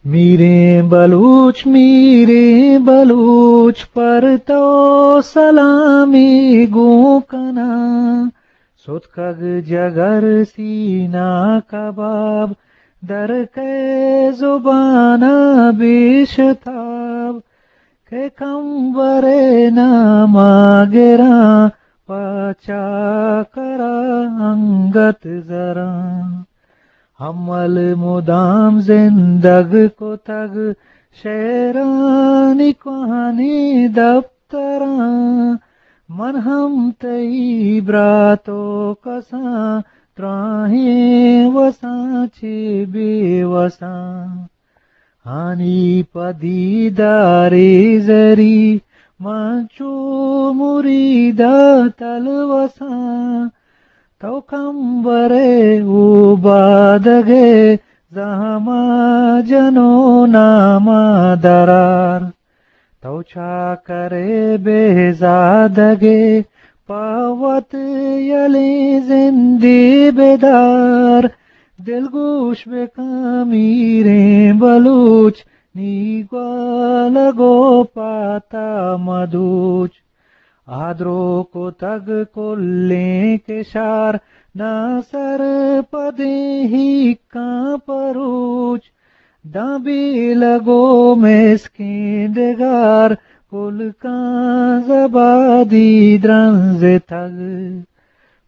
میریں بلوچ، میریں بلوچ، پر تو سلامی گوں کناں۔ ستکگ جگر سینہ کباب، در کئے زبان ءَ بے شتاب۔ کہ کمبرے نام ءَ گراں، پہ چاکر ءَ انگت زراں۔ ہمل مدام زندگ کتگ شعرانی کوہنیں دپتراں۔ من ہم تئی برات ءُ کساں، دراہیں وساں چہ بے وساں۔ آنی پہ دیدارے زری، من چو مرید ءَ تلوساں۔ تو کمبرے اوبادگے، زہم ءَ جنو نام ءَ درار۔ تو چاکرے بہزادگے، پہ وت یلیں زندے بدار۔ دلگوش بکن میریں بلوچ، نی گوالگ ءُ پات ءَ مدوچ۔ آ درو کتگ کلیں کشار، ناسرپدیں ہیکاں پروچ۔ داں بیلگ ءُ مسکیں ڈگار، پلکاں زبادی درنزتگ۔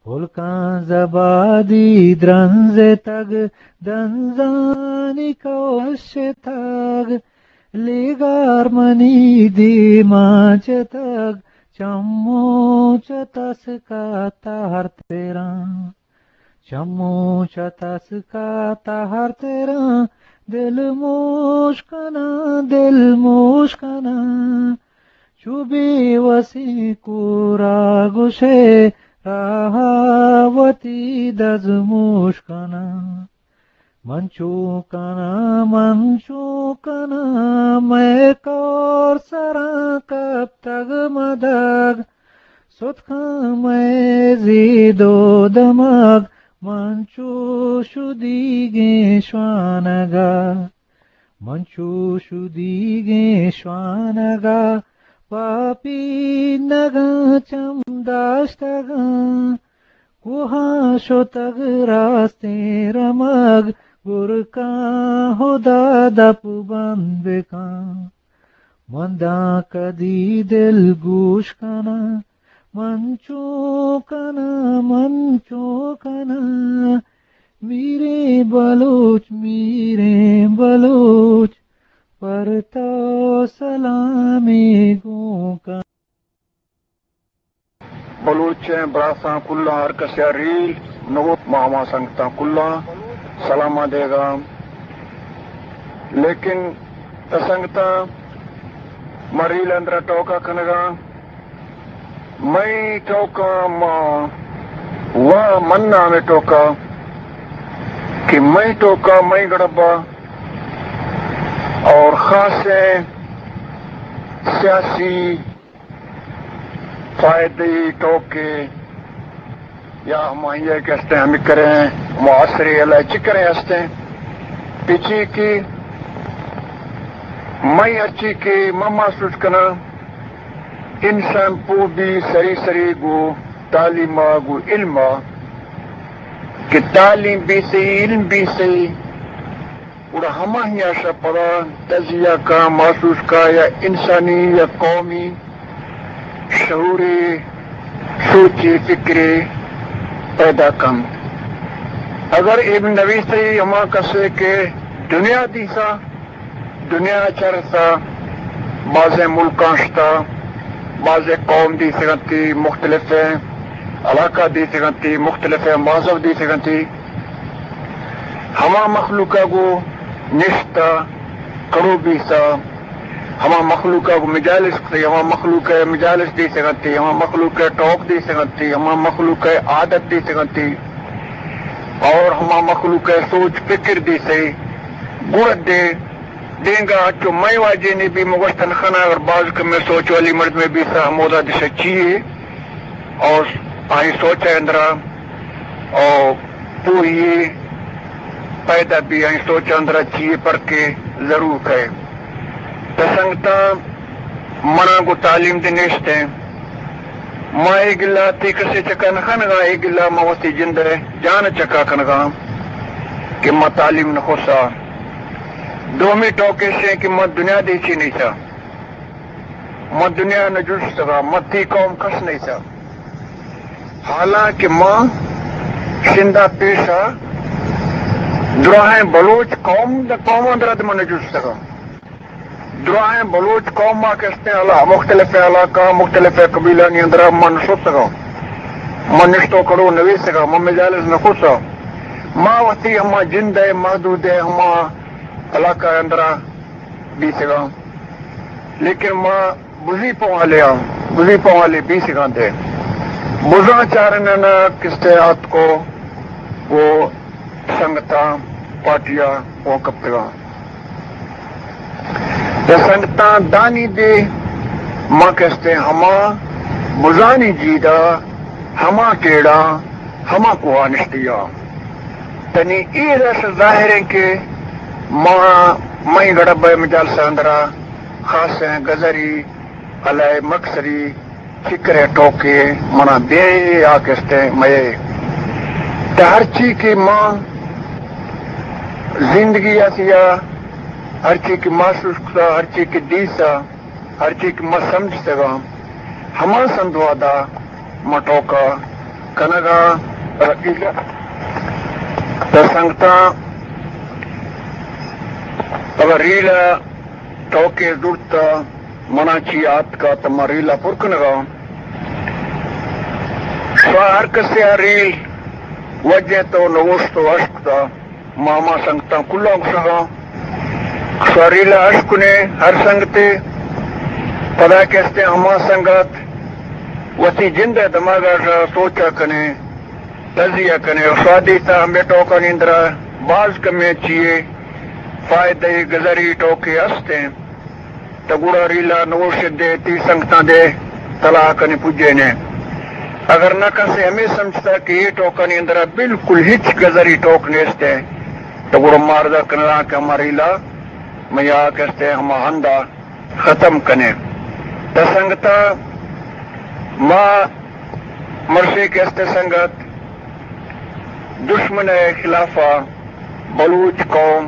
پلکاں زبادی درنزتگ، دنزانی کوشتگ۔ لیگار منی دیما چتگ، چمو چہ تسک ءَ تہر تراں۔ چمو چہ تسک ءَ تہر تراں، دل موش کناں، دل موش کناں۔ چو بے وسیں کور ءَ گوشئے، راہ ءَ وتی دزموش کناں۔ من چو کناں، من چو کناں، مئے کور سراں کپتگ مدگ۔ ستکاں مئے زید ءُ دمگ، من چو شدیگیں شوانگ ءَ۔ من چو شدیگیں شوانگ ءَ، پہ پینگاں چم داشتگاں۔ کوہاں شتگ راستیں رمگ، گرکاں ہدا دپ بند بکن۔ من داں کدی دل گوش کناں، من چو کناں، من چو کناں۔ میریں بلوچ، میریں بلوچ، پر تو سلامے گوں کناں۔ بلوچیں براساں کلاں، ہر کسے ءَ ریل نو، ما ہما سنگتاں کلاں سلاماں دیگاں۔ لیکن سنگتاں، ما ریل اندرا ٹوکا کنگاں، مئی ٹوکا ما وا من نامے ٹوکا کہ مئی ٹوکا مئی گڑبا اور خاصیں سیاسی فائدے ٹوکے یا ہمائی ءَ کہ ہستیں، ہمے کریں معاصرے علاقے چکریں ہستیں، پچی کہ مئی ہرچی کہ من محسوس کناں، انسان پوہ بی سری سری گو تعلیم ءَ گو علم ءَ کہ تعلیم بی سہی، علم بی سہی، گڑا ہماہی ءَ شہ پدا تجزیہ کا، محسوس کا یا انسانی یا قومی شعورے، سوچے، فکرے پیدا کنت۔ اگر ابن نویسری ہما کسے کہ دنیا دیسا، دنیا چرسا، بازیں ملکاں شتا، بازیں قوم دیسگنتی، مختلفیں علاقہ دیسگنتی، مختلفیں مذہب دیسگنتی، ہما مخلوق ءَ گوں نشتہ کڑو بیسا، ہما مخلوق ءَ گوں مجالس کتئی، ہما مخلوق ءِ مجالس دیسگنتی، ہما مخلوق ءِ ٹوک دیسگنتی، ہما مخلوق ءِ عادت دیسگنتی، اور ہما مخلوق ءِ سوچ فکر دیسئی، گڑا دے دینگا چو مئے واجہ نے بی مگوشتن خنا، اگر باز کمیں سوچ والی مردمے بیسا ہمودا دشا چیے، اور آئی سوچ ءِ اندرا او پوہی پیدا بی، آئی سوچ ءِ اندرا چیے پرکے ضرور کئے۔ تہ سنگتاں، منا گوں تعلیم دے نیست ایں۔ ما اے گلا تئی کسے چکا نہ کنگاں، اے گلا ما وتی جند ءِ جان ءِ چکا کنگاں کہ ما تعلیم نہ کسا۔ دومی ٹوک ایش ایں کہ ما دنیا دے چی نیسا۔ ما دنیا نہ جستگا، ما تئی قوم کس نیسا۔ حالانکہ ما شندا پیشا دراہیں بلوچ قوم دا قوم اندرا ما نہ جستگا۔ دراہیں بلوچ قوم ما کستیں علا-، مختلف علاقہ، مختلف قبیلانی اندرا ما نہ شتگا۔ ما نشتو کڑو نویسگا، ما مجالس نہ کسا۔ ما وتی ہما جند ءِ محدود ءِ ہما علاقہ اندرا بیسگاں، لیکن ما بزی پہ والے آں، بزی پہ والے بیسگاں دے۔ بزاں چارننا کستے آتکو، وہ سنگتاں پارٹیاں وہ کپتگاں۔ یا سنگتاں دانی دے ما کستے ہما بزانی جیدا، ہما ٹیڑا، ہما کوہا نشتیا۔ تنی اے رس ظاہر ایں کہ ما، مئی گڑب ءِ مجالس اندرا خاصیں گزری، علائے مکسری، فکر ءِ ٹوکے منا بے آ کستیں مئے۔ تہ ہرچی کہ ما زندگی آتیا، ہرچی کہ محسوس کتا، ہرچی کہ دیسا، ہرچی کہ ما سمجھتگاں، ہما سندوادا ما ٹوکا کنگا۔ تہ سنگتاں، اگر ریلا ٹوکے زرتا، منا چی آتکا، تہ ما ریلا پر کنگا۔ شا ہر کسے آ ریل وجہ تو نوشت و اشکتا۔ ما ہما سنگتاں کلاں گوشگاں، شا ریلا اش کنے ہر سنگتے، پدا کستے ہما سنگت وتی جند ءِ دماغ ءَ سوچا کنے، تجزیہ کنے، شا دیتا ہمے ٹوکانی اندرا باز کمیں چیے فائدہ گزری ٹوکے ہستیں۔ تہ گڑا ریلا نوش دے، تئی سنگتاں دے تلاہ کنے پجینے۔ اگر نہ کسے ہمے سمجھتا کہ اے ٹوکانی اندرا بالکل ہچ گزری ٹوک نیست ایں، تہ گڑا ما عرض کنگاں کہ ہما ریلا میا کستے ہما ہندا ختم کنے۔ تہ سنگتاں، ما مرشے کستے سنگت دشمن ءِ خلافا بلوچ قوم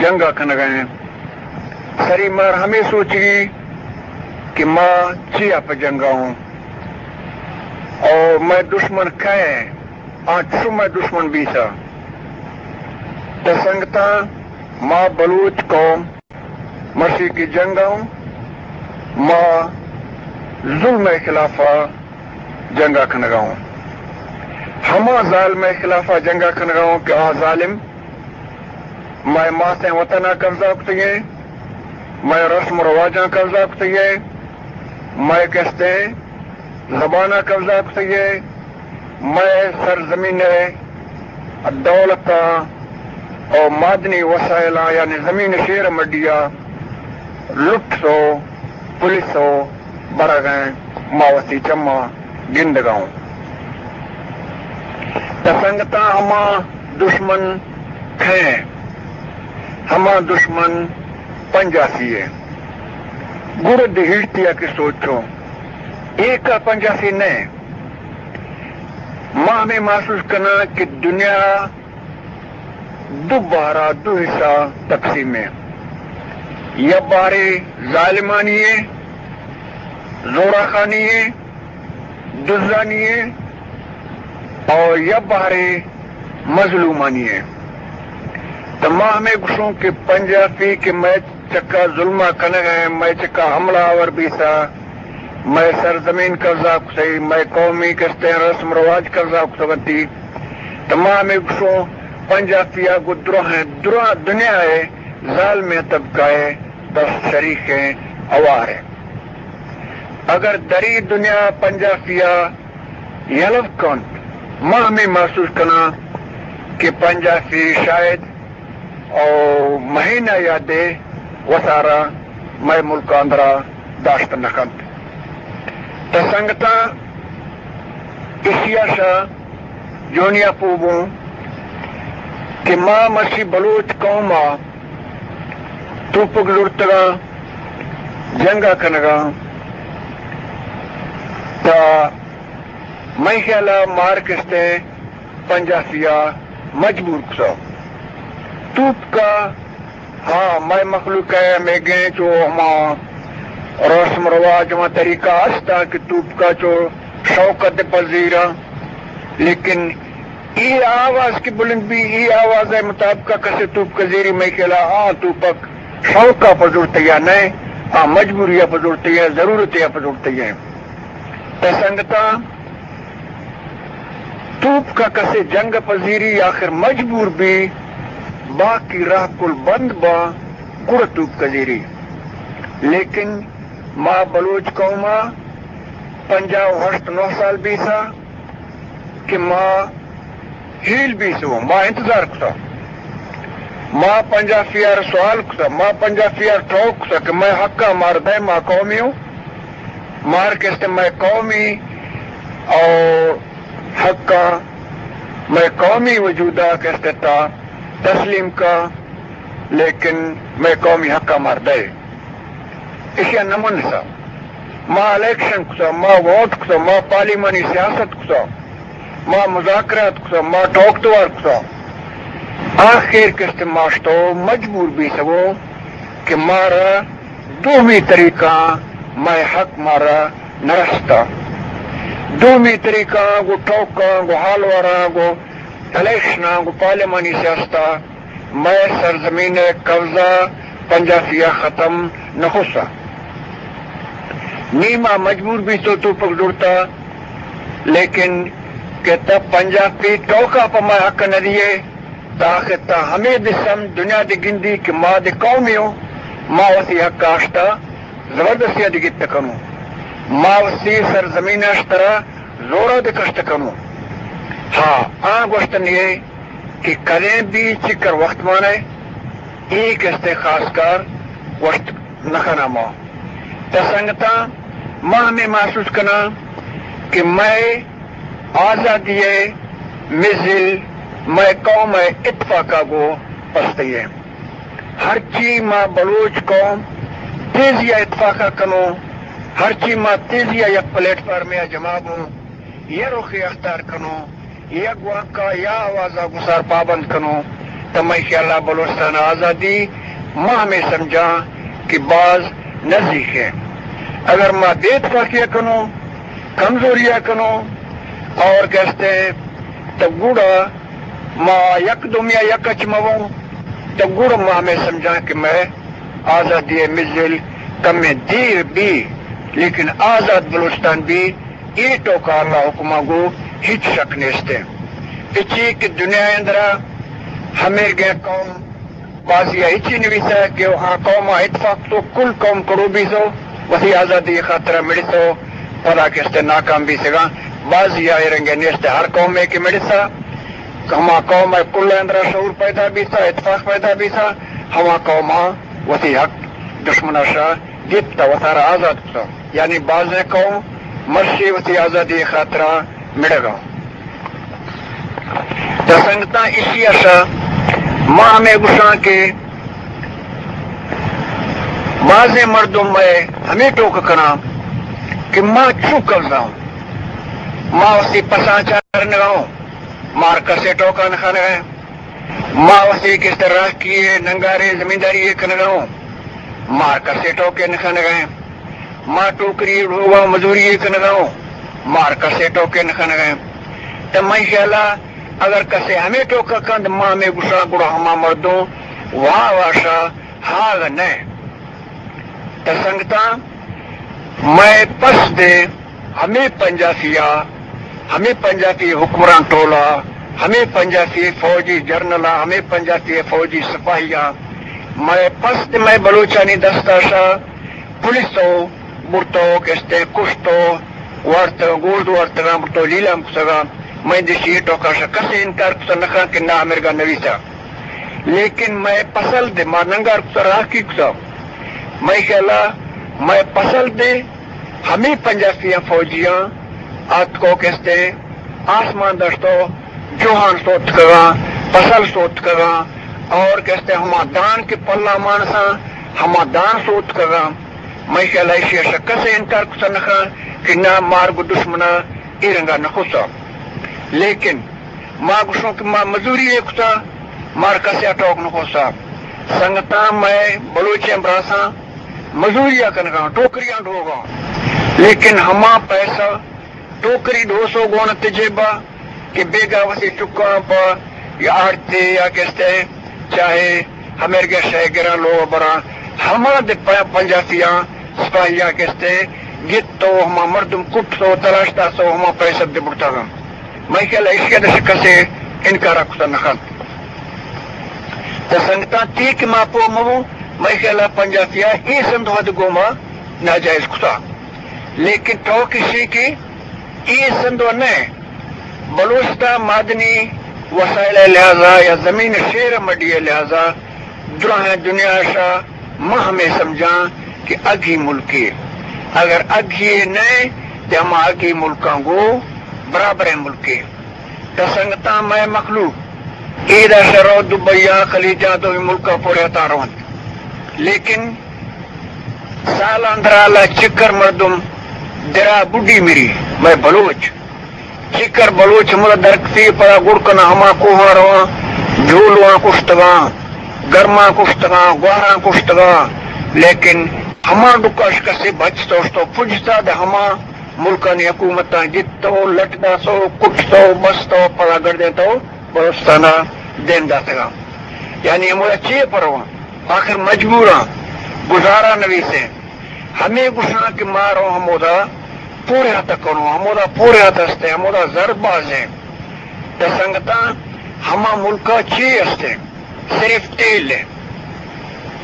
جنگ ءَ کنگ ءَ ایں۔ سری مار ہمے سوچگی کہ ما چیا پہ جنگ ءَ اوں اور مئے دشمن کئے ایں، آ چو مئے دشمن بیثہ۔ تہ سنگتاں، ما بلوچ قوم مرشی کہ جنگ ءَ اوں، ما ظلم ءِ خلافا جنگ ءَ کنگ ءَ اوں۔ ہما ظالم ءِ خلافا جنگ ءَ کنگ ءَ اوں کہ آ ظالم مئے ماتیں وطن ءَ قبضہ کتگیں، مئے رسم و رواجاں قبضہ کتگیں، مئے کستیں زبان ءَ قبضہ کتگیں، مئے سرزمین ءِ دولتاں او معدنی وسائلاں، یعنی زمین شیر مڈیا لٹثو پلثو برغیں، ما وتی چماں گندگ ءَ اوں۔ تہ سنگتاں، ہما دشمن کئے ایں؟ ہما دشمن پنجاسی ایں۔ گڑا دھیڑتیا کہ سوچوں، ایکا پنجاسی نئے۔ ما ہمے محسوس کناں کہ دنیا دو بہرا، دو حصہ تقسیم ایں۔ یا بہرے ظالمانی ایں، زوراخانی ایں، دزانی ایں، اور یا بہرے مظلومانی ایں۔ تہ ما ہمے گوشوں کہ پنجاسی کہ مئے چکا ظلم ءَ کنگ ءَ ایں، مئے چکا حملہ آور بیثہ، مئے سرزمین قبضہ کثہ، مئے قومی کستیں رسم رواج قبضہ کثہ گنتی۔ تہ ما ہمے گوشوں، پنجاسی ءَ گوں دراہیں، دراہ دنیا ءِ ظالمیں طبقہ ءِ دست شریکیں، ہواریں۔ اگر دری دنیا پنجاسی ءَ یلہ کنت، ما ہمے محسوس کناں کہ پنجاسی شاید او مہینہ یا دے وتارا مئے ملک اندرا داشت نہ کنت۔ تہ سنگتاں، ایشیا شا جونیا پوبوں کہ ما مرشی بلوچ قوم ءَ توپک زرتگاں، جنگ ءَ کنگاں، تا مئے خیال ءَ مار کستیں پنجاپی ءَ مجبور کتا۔ توپک ءَ، ہاں، مئے مخلوق ءَ ہمے گیں چو ہما رسم رواج، ہما طریقہ است کہ توپک ءَ چو شوکت پذیراں، لیکن اے آواز کہ بلند بی، اے آواز ءِ مطابق کسے توپک زیری، مئے خیال ءَ آ توپک شوق ءَ پہ زرتگ یا نہ، آ مجبوری ءَ پہ زرتگ یا ضرورت ءَ پہ زرتگ۔ تا سنگتاں، توپک کسے جنگ پذیری، آخر مجبور بی، باقی راہ کل بند با، گڑ توپک زیری۔ لیکن ما بلوچ قوم ءَ پنجاہ و ہشت نو سال بیسا کہ ما ہیل بیسو، ما انتظار کتا، ما پنجاپی ءَ را سوال کتا، ما پنجاپی ءَ را ٹوک کتا کہ مئے حق ءَ مار دے، ما قومی ہوں، مار کستے مئے قومی اور حق ءَ مئے قومی وجود ءَ کستے تا تسلیم کا، لیکن مئے قومی حق ءَ مار دے۔ ایشی ءَ نہ منسا۔ ما الیکشن کتا، ما ووٹ کتا، ما پارلیمانی سیاست کتا، ما مذاکرات کتا، ما ٹوک توار کتا۔ آخر کستے ما شتو مجبور بیسو کہ مارا دومی طریقہ مئے حق مارا نرستا۔ دومی طریقہ گو ٹوکاں، گو حالواراں، گو الیکشناں، گو پارلیمانی سیاستا مئے سرزمین ءِ قبضہ پنجاپی ءَ ختم نہ کسا۔ نی ما مجبور بیتو توپک زرتا، لیکن کہ تا پنجاپی ٹوکا پہ مئے حق نہ دیے، تا کہ تا ہمے دسم دنیا دے گندی کہ ما دے قومی ہوں، ما وتی حق آشتا زبردستی ءَ دے گپت کنوں، ما وتی سرزمین اشترا زورا دے کشت کنوں۔ ہاں، آ گوشتن یہ کہ کدیں بھی چکر وقت مانے، اے کستے خاص کار گوشت نہ کناں ما۔ تا سنگتاں، ما ہمیں محسوس کناں کہ مئے آزادی ءِ مزل مئے قوم ءِ اتفاق ءَ گوں پستئی ءَ۔ ہرچی ما بلوچ قوم تیزی ءَ اتفاق ءَ کنوں، ہرچی ما تیزی ءَ یک پلیٹ فارمے ءَ جمع بوں، یہ رخے اختیار کنوں، یک واک ءَ یا آواز ءَ گسار پابند کنوں، تو مئے خیال ءَ بلوچستان ءِ آزادی ما ہمے سمجھاں کہ باز نزیک ہے۔ اگر ما بے اتفاقی ءَ کنوں، کمزوری ءَ کنوں اور کستے، تو گڑا ما یک دومی ءَ یک اچ مہ بوں، تو گڑا ما ہمے سمجھاں کہ مئے آزادی ءِ مزل کمیں دیر بی، لیکن آزاد بلوچستان بی، اے ٹوکا اللہ حکما گو ہچ شک نیست۔ اچی کہ دنیا اندرا ہمیر گئے قوم بازی ہچی نویسا کہ آ قوم اتفاق تو کل قوم کڑو بیسو، وتی آزادی خاطرا مڑسو، پدا کستے ناکام بیسگا۔ بازی آ رنگے نیست، ہر قوم ہے کہ مڑسا، ہما قوم ءِ کل اندرا شعور پیدا بیتا، اتفاق پیدا بیتا، ہما قوم ءَ وتی حق دشمن ءَ شا گپتا، وتارا آزاد کتا۔ یعنی بازیں قوم مرشی وتی آزادی خاطرا مڑگا۔ تو سنگتاں، ایشی ءَ شا ما ہمیں گوشاں کہ بازیں مردم مئے ہمیں ٹوک کناں کہ ما چو قبضہ ہوں، ما وتی پساں چارنگا ہوں، مار کسے ٹوکا نہ کنگا۔ ما وتی کستے راہکی ءِ ننگارے زمینداری ءِ کنگا ہوں، مار کسے ٹوکے نہ کنگا۔ ما ٹوکری ءِ لوگا مزوری ءِ کنگا ہوں، مار کسے ٹوکے نہ کنگا۔ تو مئے خیالا اگر کسے ہمیں ٹوکا کند، ما ہمیں گوشاں گڑا ہما مردم واہ واشا ہاگ نہ۔ تو سنگتاں، مئے پس دے ہمے پنجاپی ءَ، ہمے پنجاپی حکمران ٹولہ، ہمے پنجاپی فوجی جرنل ءَ، ہمے پنجاپی فوجی سپاہی ءَ، مئے پس دے مئے بلوچانی دست ءَ شا پولیس ءَ برتو، کستے کشتو، وارتگاں، گورد وارتگاں، برتو لیلام کتگاں۔ مئے دشی ٹوکا شا کسے انکار کتا نہ کن کہ نہ امرگا نویسا۔ لیکن مئے پسل دے ما ننگار کتا، راہکی کتا۔ مئے خیالا مئے پسل دے ہمے پنجاپیاں فوجیاں آتکو کستے آسمان دشتو جوہان سوتکگاں، پسل سوتکگاں اور کستے ہما دان کہ پلا مانساں ہما دان سوتکگاں، مئے خیال ءَ ایشی ءَ شہ کسے انکار کتہ نہ کن کہ نہ، مار گوں دشمن ءَ اے رنگ ءَ نہ کتہ۔ لیکن ما گوشوں کہ ما مزوری ءَ کتہ، مار کسے ءَ ٹوک نہ کتہ۔ سنگتاں، مئے بلوچیں براساں مزوری ءَ کنگاں، ٹوکریاں ڈوگاں، لیکن ہما پیسہ ٹوکری ڈوسو گون ات جیبا کہ بیگا وتی چکاں پہ یا آڑتے یا کستے، چاہے ہمیرگے شے گراں لوگ براں، ہما دے پ-، پنجاسیاں سپاہیاں کستے گت تو ہما مردم کٹ تو تلاش تا سو ہما پیسہ دے بڑتا گا۔ مئے خیال ءَ ایشی ءَ دش کسے انکار کتا نہ کنت۔ تو سنگتاں، تی کہ ما پو مبو، مئے خیال ءَ پنجاسیاں اے سندھ ود گوما ناجائز کتا۔ لیکن ٹوک ایشی کہ اے سندھ و نہ، بلوچستان معدنی وسائل ءِ لحاظا یا زمین شیر مڈی ءِ لحاظا دراہیں دنیا شا ما ہمے سمجھاں کہ اگھی ملکے۔ اگر اگھی نہ، تے ہما اگھی ملکاں گو برابریں ملکے۔ تو سنگتاں، مئے مخلوق ایدا شہ رو دبئی ءَ، خلیجاں، دومی ملکاں پورے تا رونت۔ لیکن سال اندرا لا چکر مردم درا بڈی مری، مئے بلوچ۔ چکر بلوچ ہمدا درکتی پدا گڑ کنا ہما کوہاں رواں، جولواں کشتگاں، گرماں کشتگاں، گواراں کشتگاں۔ لیکن ہما ڈکاش کسے بچ تو شتو پجتا دے ہما ملکانی حکومتاں گتو، لٹ داسو، کٹتو، بستو، پدا گردینتو بلوچستانا دیم داتگاں۔ یعنی ہمودا چے پرواں؟ آخر مجبوراں، گزارا نویسیں۔ ہمے گوشاں کہ ما رو ہمودا پورے ہاتھ کنوں، ہمودا پورے ہاتھ ہستے، ہمودا زر بازیں۔ تے سنگتاں، ہما ملکا چے ہستے؟ صرف تیل ہے۔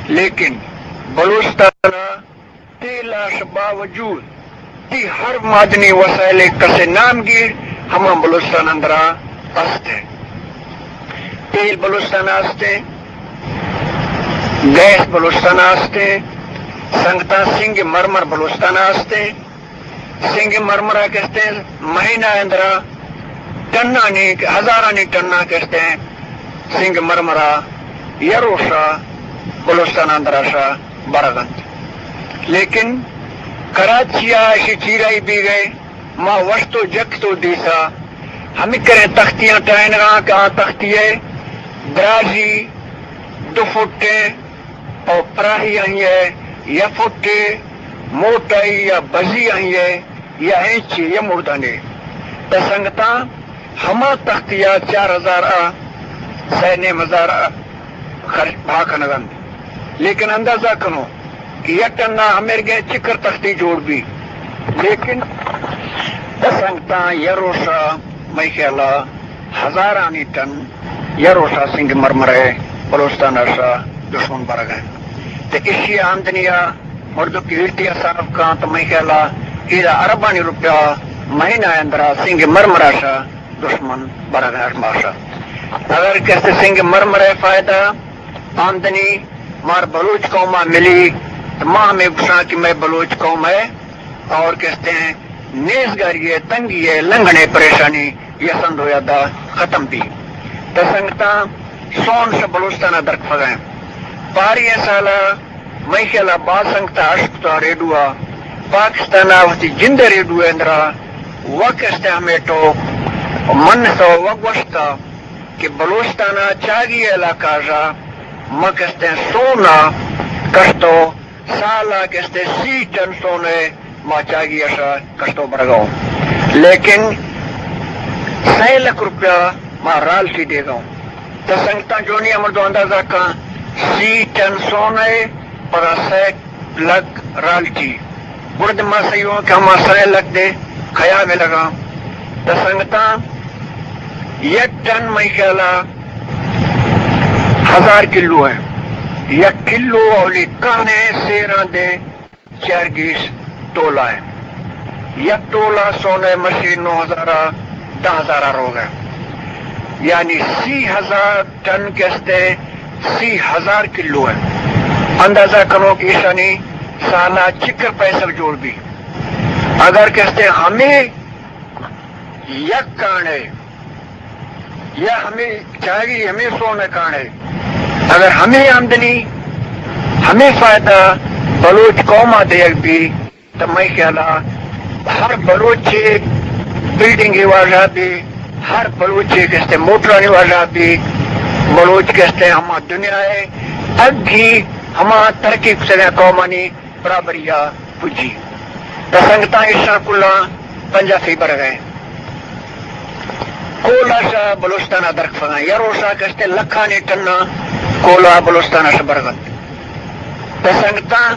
لیکن بلوچستان تیل اش باوجود تی ہر معدنی وسائل کسے نام گیر، ہما بلوچستان اندرا است ہے۔ تیل بلوچستان است ہے، گیس بلوچستان است ہے، سنگتاں، سنگ مرمر بلوچستان است ہے۔ سنگ مرمرا کستے مہینہ اندرا ٹنانی، ہزارانی ٹنا کستے سنگ مرمرا یا روشا بلوچستان اندرا شا برگ انت۔ لیکن کراچی ءَ ایشی چیرائی بیگ ءَ ما وشت و جکت و دیسا ہمے کریں تختیاں ٹائینگاں کہ آ تختی ءِ درازی دو فٹ ءَ او پراہی آئی ءِ یا فٹ ءَ، موٹائی یا بزی آئی ءِ یا اینچی یا مردانی۔ تہ سنگتاں، ہما تختی ءَ چار ہزار ءَ سئے نیم ہزار ءَ خرچ بہا کنگ انت۔ لیکن اندازہ کنو کہ یک ٹن ءَ ہمیرگیں چکر تختی جوڑ بی۔ لیکن سنگتاں، یک روشا مئے خیال ءَ ہزارانی ٹن یک روشا سنگ مرمر ءَ بلوچستان ءَ شا دشمن برگ ءَ انت۔ تہ ایشی آمدنی ءَ مردم کہ ایرتی حساب کاں تہ مئے خیال ءَ ایدا اربانی روپیہ مہینہ ءِ اندرا سنگ مرمر ءَ شا دشمن برگ ءَ ماشا۔ اگر کسے سنگ مرمر ءِ فائدہ آمدنی مار بلوچ قوم ءَ ملی، تہ ما ہمے گوشاں کہ مئے بلوچ قوم ءِ اور کستے ہیں نیزگاری ءِ، تنگی ءِ، لنگڑ ءِ پریشانی یا سندھ و یادا ختم بی۔ تہ سنگتاں، سون شہ بلوچستان ءَ درکپگ ءَ انت۔ پاری ءِ سال ءَ مئے خیال ءَ باز سنگتاں اشکتا ریڈو ءَ، پاکستان ءَ وتی جند ءِ ریڈو ءِ اندرا وک استیں ہمے ٹوک من سو وک گوشتا کہ بلوچستان ءِ چاگی علاقہ ءَ ما کستیں سون ءَ کشتو، سال ءَ کستیں سی ٹن سون ءَ ما چاگی ءَ شا کشتو برگا اوں۔ لیکن سئے لکھ روپیہ ما رالٹی دیگا اوں۔ تہ سنگتاں، جونی ءَ مردم اندازہ کن، سی ٹن سون ءَ پدا سئے لکھ رالٹی۔ گڑا دے ما سہی اوں کہ ہما سئے لکھ دے کیا ملگا۔ تہ سنگتاں، یک ٹن مئے خیال ءَ ہزار کلو ءَ، یک کلو اولی کن ءَ سیراں دے چار گیش تولا ءَ۔ یک تولا سون ءِ مشین نو ہزار ءَ دہ ہزار ءَ روگ ءَ۔ یعنی سی ہزار ٹن کستیں سی ہزار کلو ءَ۔ اندازہ کنو کہ ایشانی سال ءَ چکر پیسہ جوڑ بی۔ اگر کستیں ہمے یک کانے یا ہمے چاگی ہمے سون ءِ کانے، اگر ہمے آمدنی ہمے فائدہ بلوچ قوم ءَ دیگ بی، تو مئے خیال ءَ ہر بلوچے بلڈنگے واجہ بی، ہر بلوچے کستے موٹرانی واجہ بی، بلوچ کستے ہما دنیا ءِ اگھی ہما ترقی کتگیں قومانی برابری ءَ پجی۔ تو سنگتاں، ایشاں کلاں پنجاپی برگ ءَ ایں۔ کولا شہ بلوچستان ءَ درکفگ ءَ ایں۔ یا روشا کستے لکھانی ٹناں کولا بلوچستان ءَ شہ برگ ءَ اَنت۔ تو سنگتاں،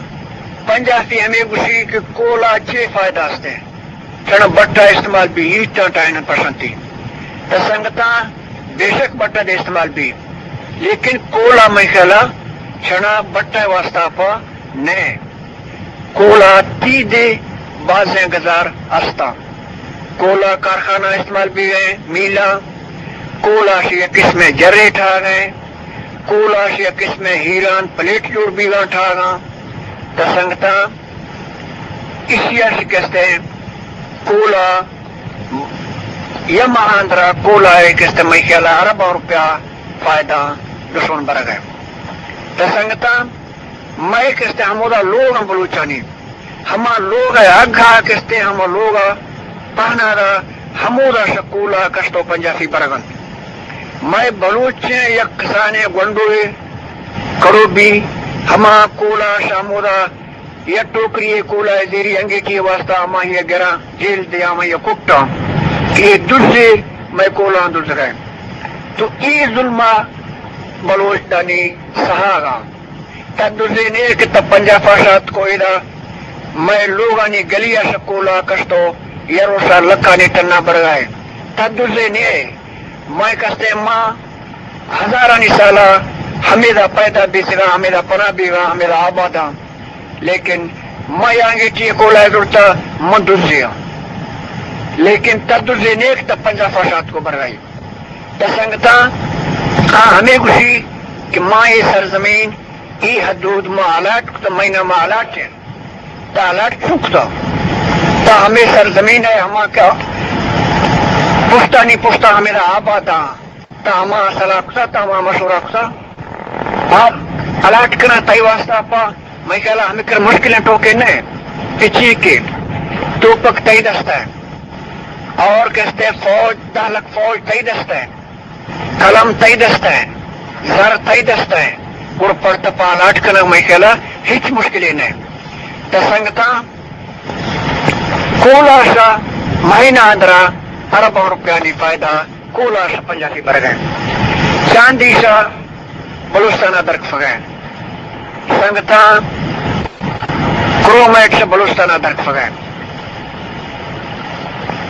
پنجاپی ہمے گوشی کہ کولا چے فائدہ است ایں؟ چنا بٹا استعمال بی، ہیٹاں ٹائنا پشنتی۔ تو سنگتاں، بے شک بٹا دے استعمال بی، لیکن کولا مئے خیال ءَ چنا بٹا واسطہ پہ نہ۔ کولا تی دے بازیں گزار استاں۔ کولا کارخانہ استعمال بیگ ءَ ایں، میلاں۔ کولا شہ یک قسمیں جرے ٹھاگ ءَ ایں۔ کولا شہ یک قسمیں ہیران پلیٹ جوڑ بیگاں ٹھاگاں۔ تو سنگتاں، ایشی ءَ شکست ایں کولا، یا ماہ اندرا کولا ءِ کستے مئے خیال ءَ ارباں روپیہ فائدہ دشمن برگ ءَ ایں۔ تو سنگتاں، مئے کستے ہمودا لوگ ایں بلوچانی، ہما لوگ ءِ اگھا کستے ہما لوگ ءَ پہنادا ہمودا شہ کولا کشت ءُ پنجاپی برگ ءَ اَنت۔ مئے بلوچیں یک کسانیں گونڈوے کڑو بی، ہما کولا شہ ہمودا یک ٹوکری ءِ کولا ءِ زیری انگیٹی ءِ واسطہ ہمائی ءَ گراں جیل دے، ہمائی ءَ کٹاں کہ اے دزے، مئے کولاں دزگ ءَ ایں۔ تو اے ظلم ءَ بلوچ دانی سہاگ ءَ۔ تا دزے نے کہ تا پنجاپ ءَ شات کو ادا مئے لوگانی گلی ءَ شہ کولا کشت ءُ یا روشا لکھانی ٹنا برگ ءَ ایں۔ تا دزے نے، مئے کستے ما ہزارانی سالا ہمیدا پیدا بیتگاں، ہمیدا پناہ بیگاں، ہمیدا آباداں۔ لیکن ما یا انگیٹی کولا زرتا، من دزے آں۔ لیکن تا دزے نیک تا پنجاپ ءَ شات کو برگ ءَ ایں۔ تا سنگتاں، آ ہمے گوشی کہ ما اے سرزمین، اے حدود ما الاٹ کتا، مئے نام ءَ الاٹ ایں۔ تا الاٹ چون کتا؟ تا ہمے سرزمین ءَ ہما کہ پشتانی پشتا ہمیدا آباداں۔ تا ہما صلاح کتا، تا ہما مشورہ کتا۔ آپ الاٹ کناں تئی واسطہ پہ مئے خیال ءَ ہمے کر مشکلیں ٹوکے نہ ایں۔ کہ چی کہ توپک تئی دست ءَ ایں، اور کستے فوج، دہ لکھ فوج تئی دست ءَ ایں، قلم تئی دست ءَ ایں، زر تئی دست ءَ ایں، گڑا پہ تا پہ الاٹ کنگ مئے خیال ءَ ہچ مشکلے نہ ایں۔ تا سنگتاں، کولا شہ مہینہ اندرا ارباں روپیانی فائدہ کولا شہ پنجاپی برگ ءَ ایں۔ چاندی شہ بلوچستان ءَ درکفگ ءَ ایں۔ سنگتاں، کرومائٹ شہ بلوچستان ءَ درکفگ ءَ ایں۔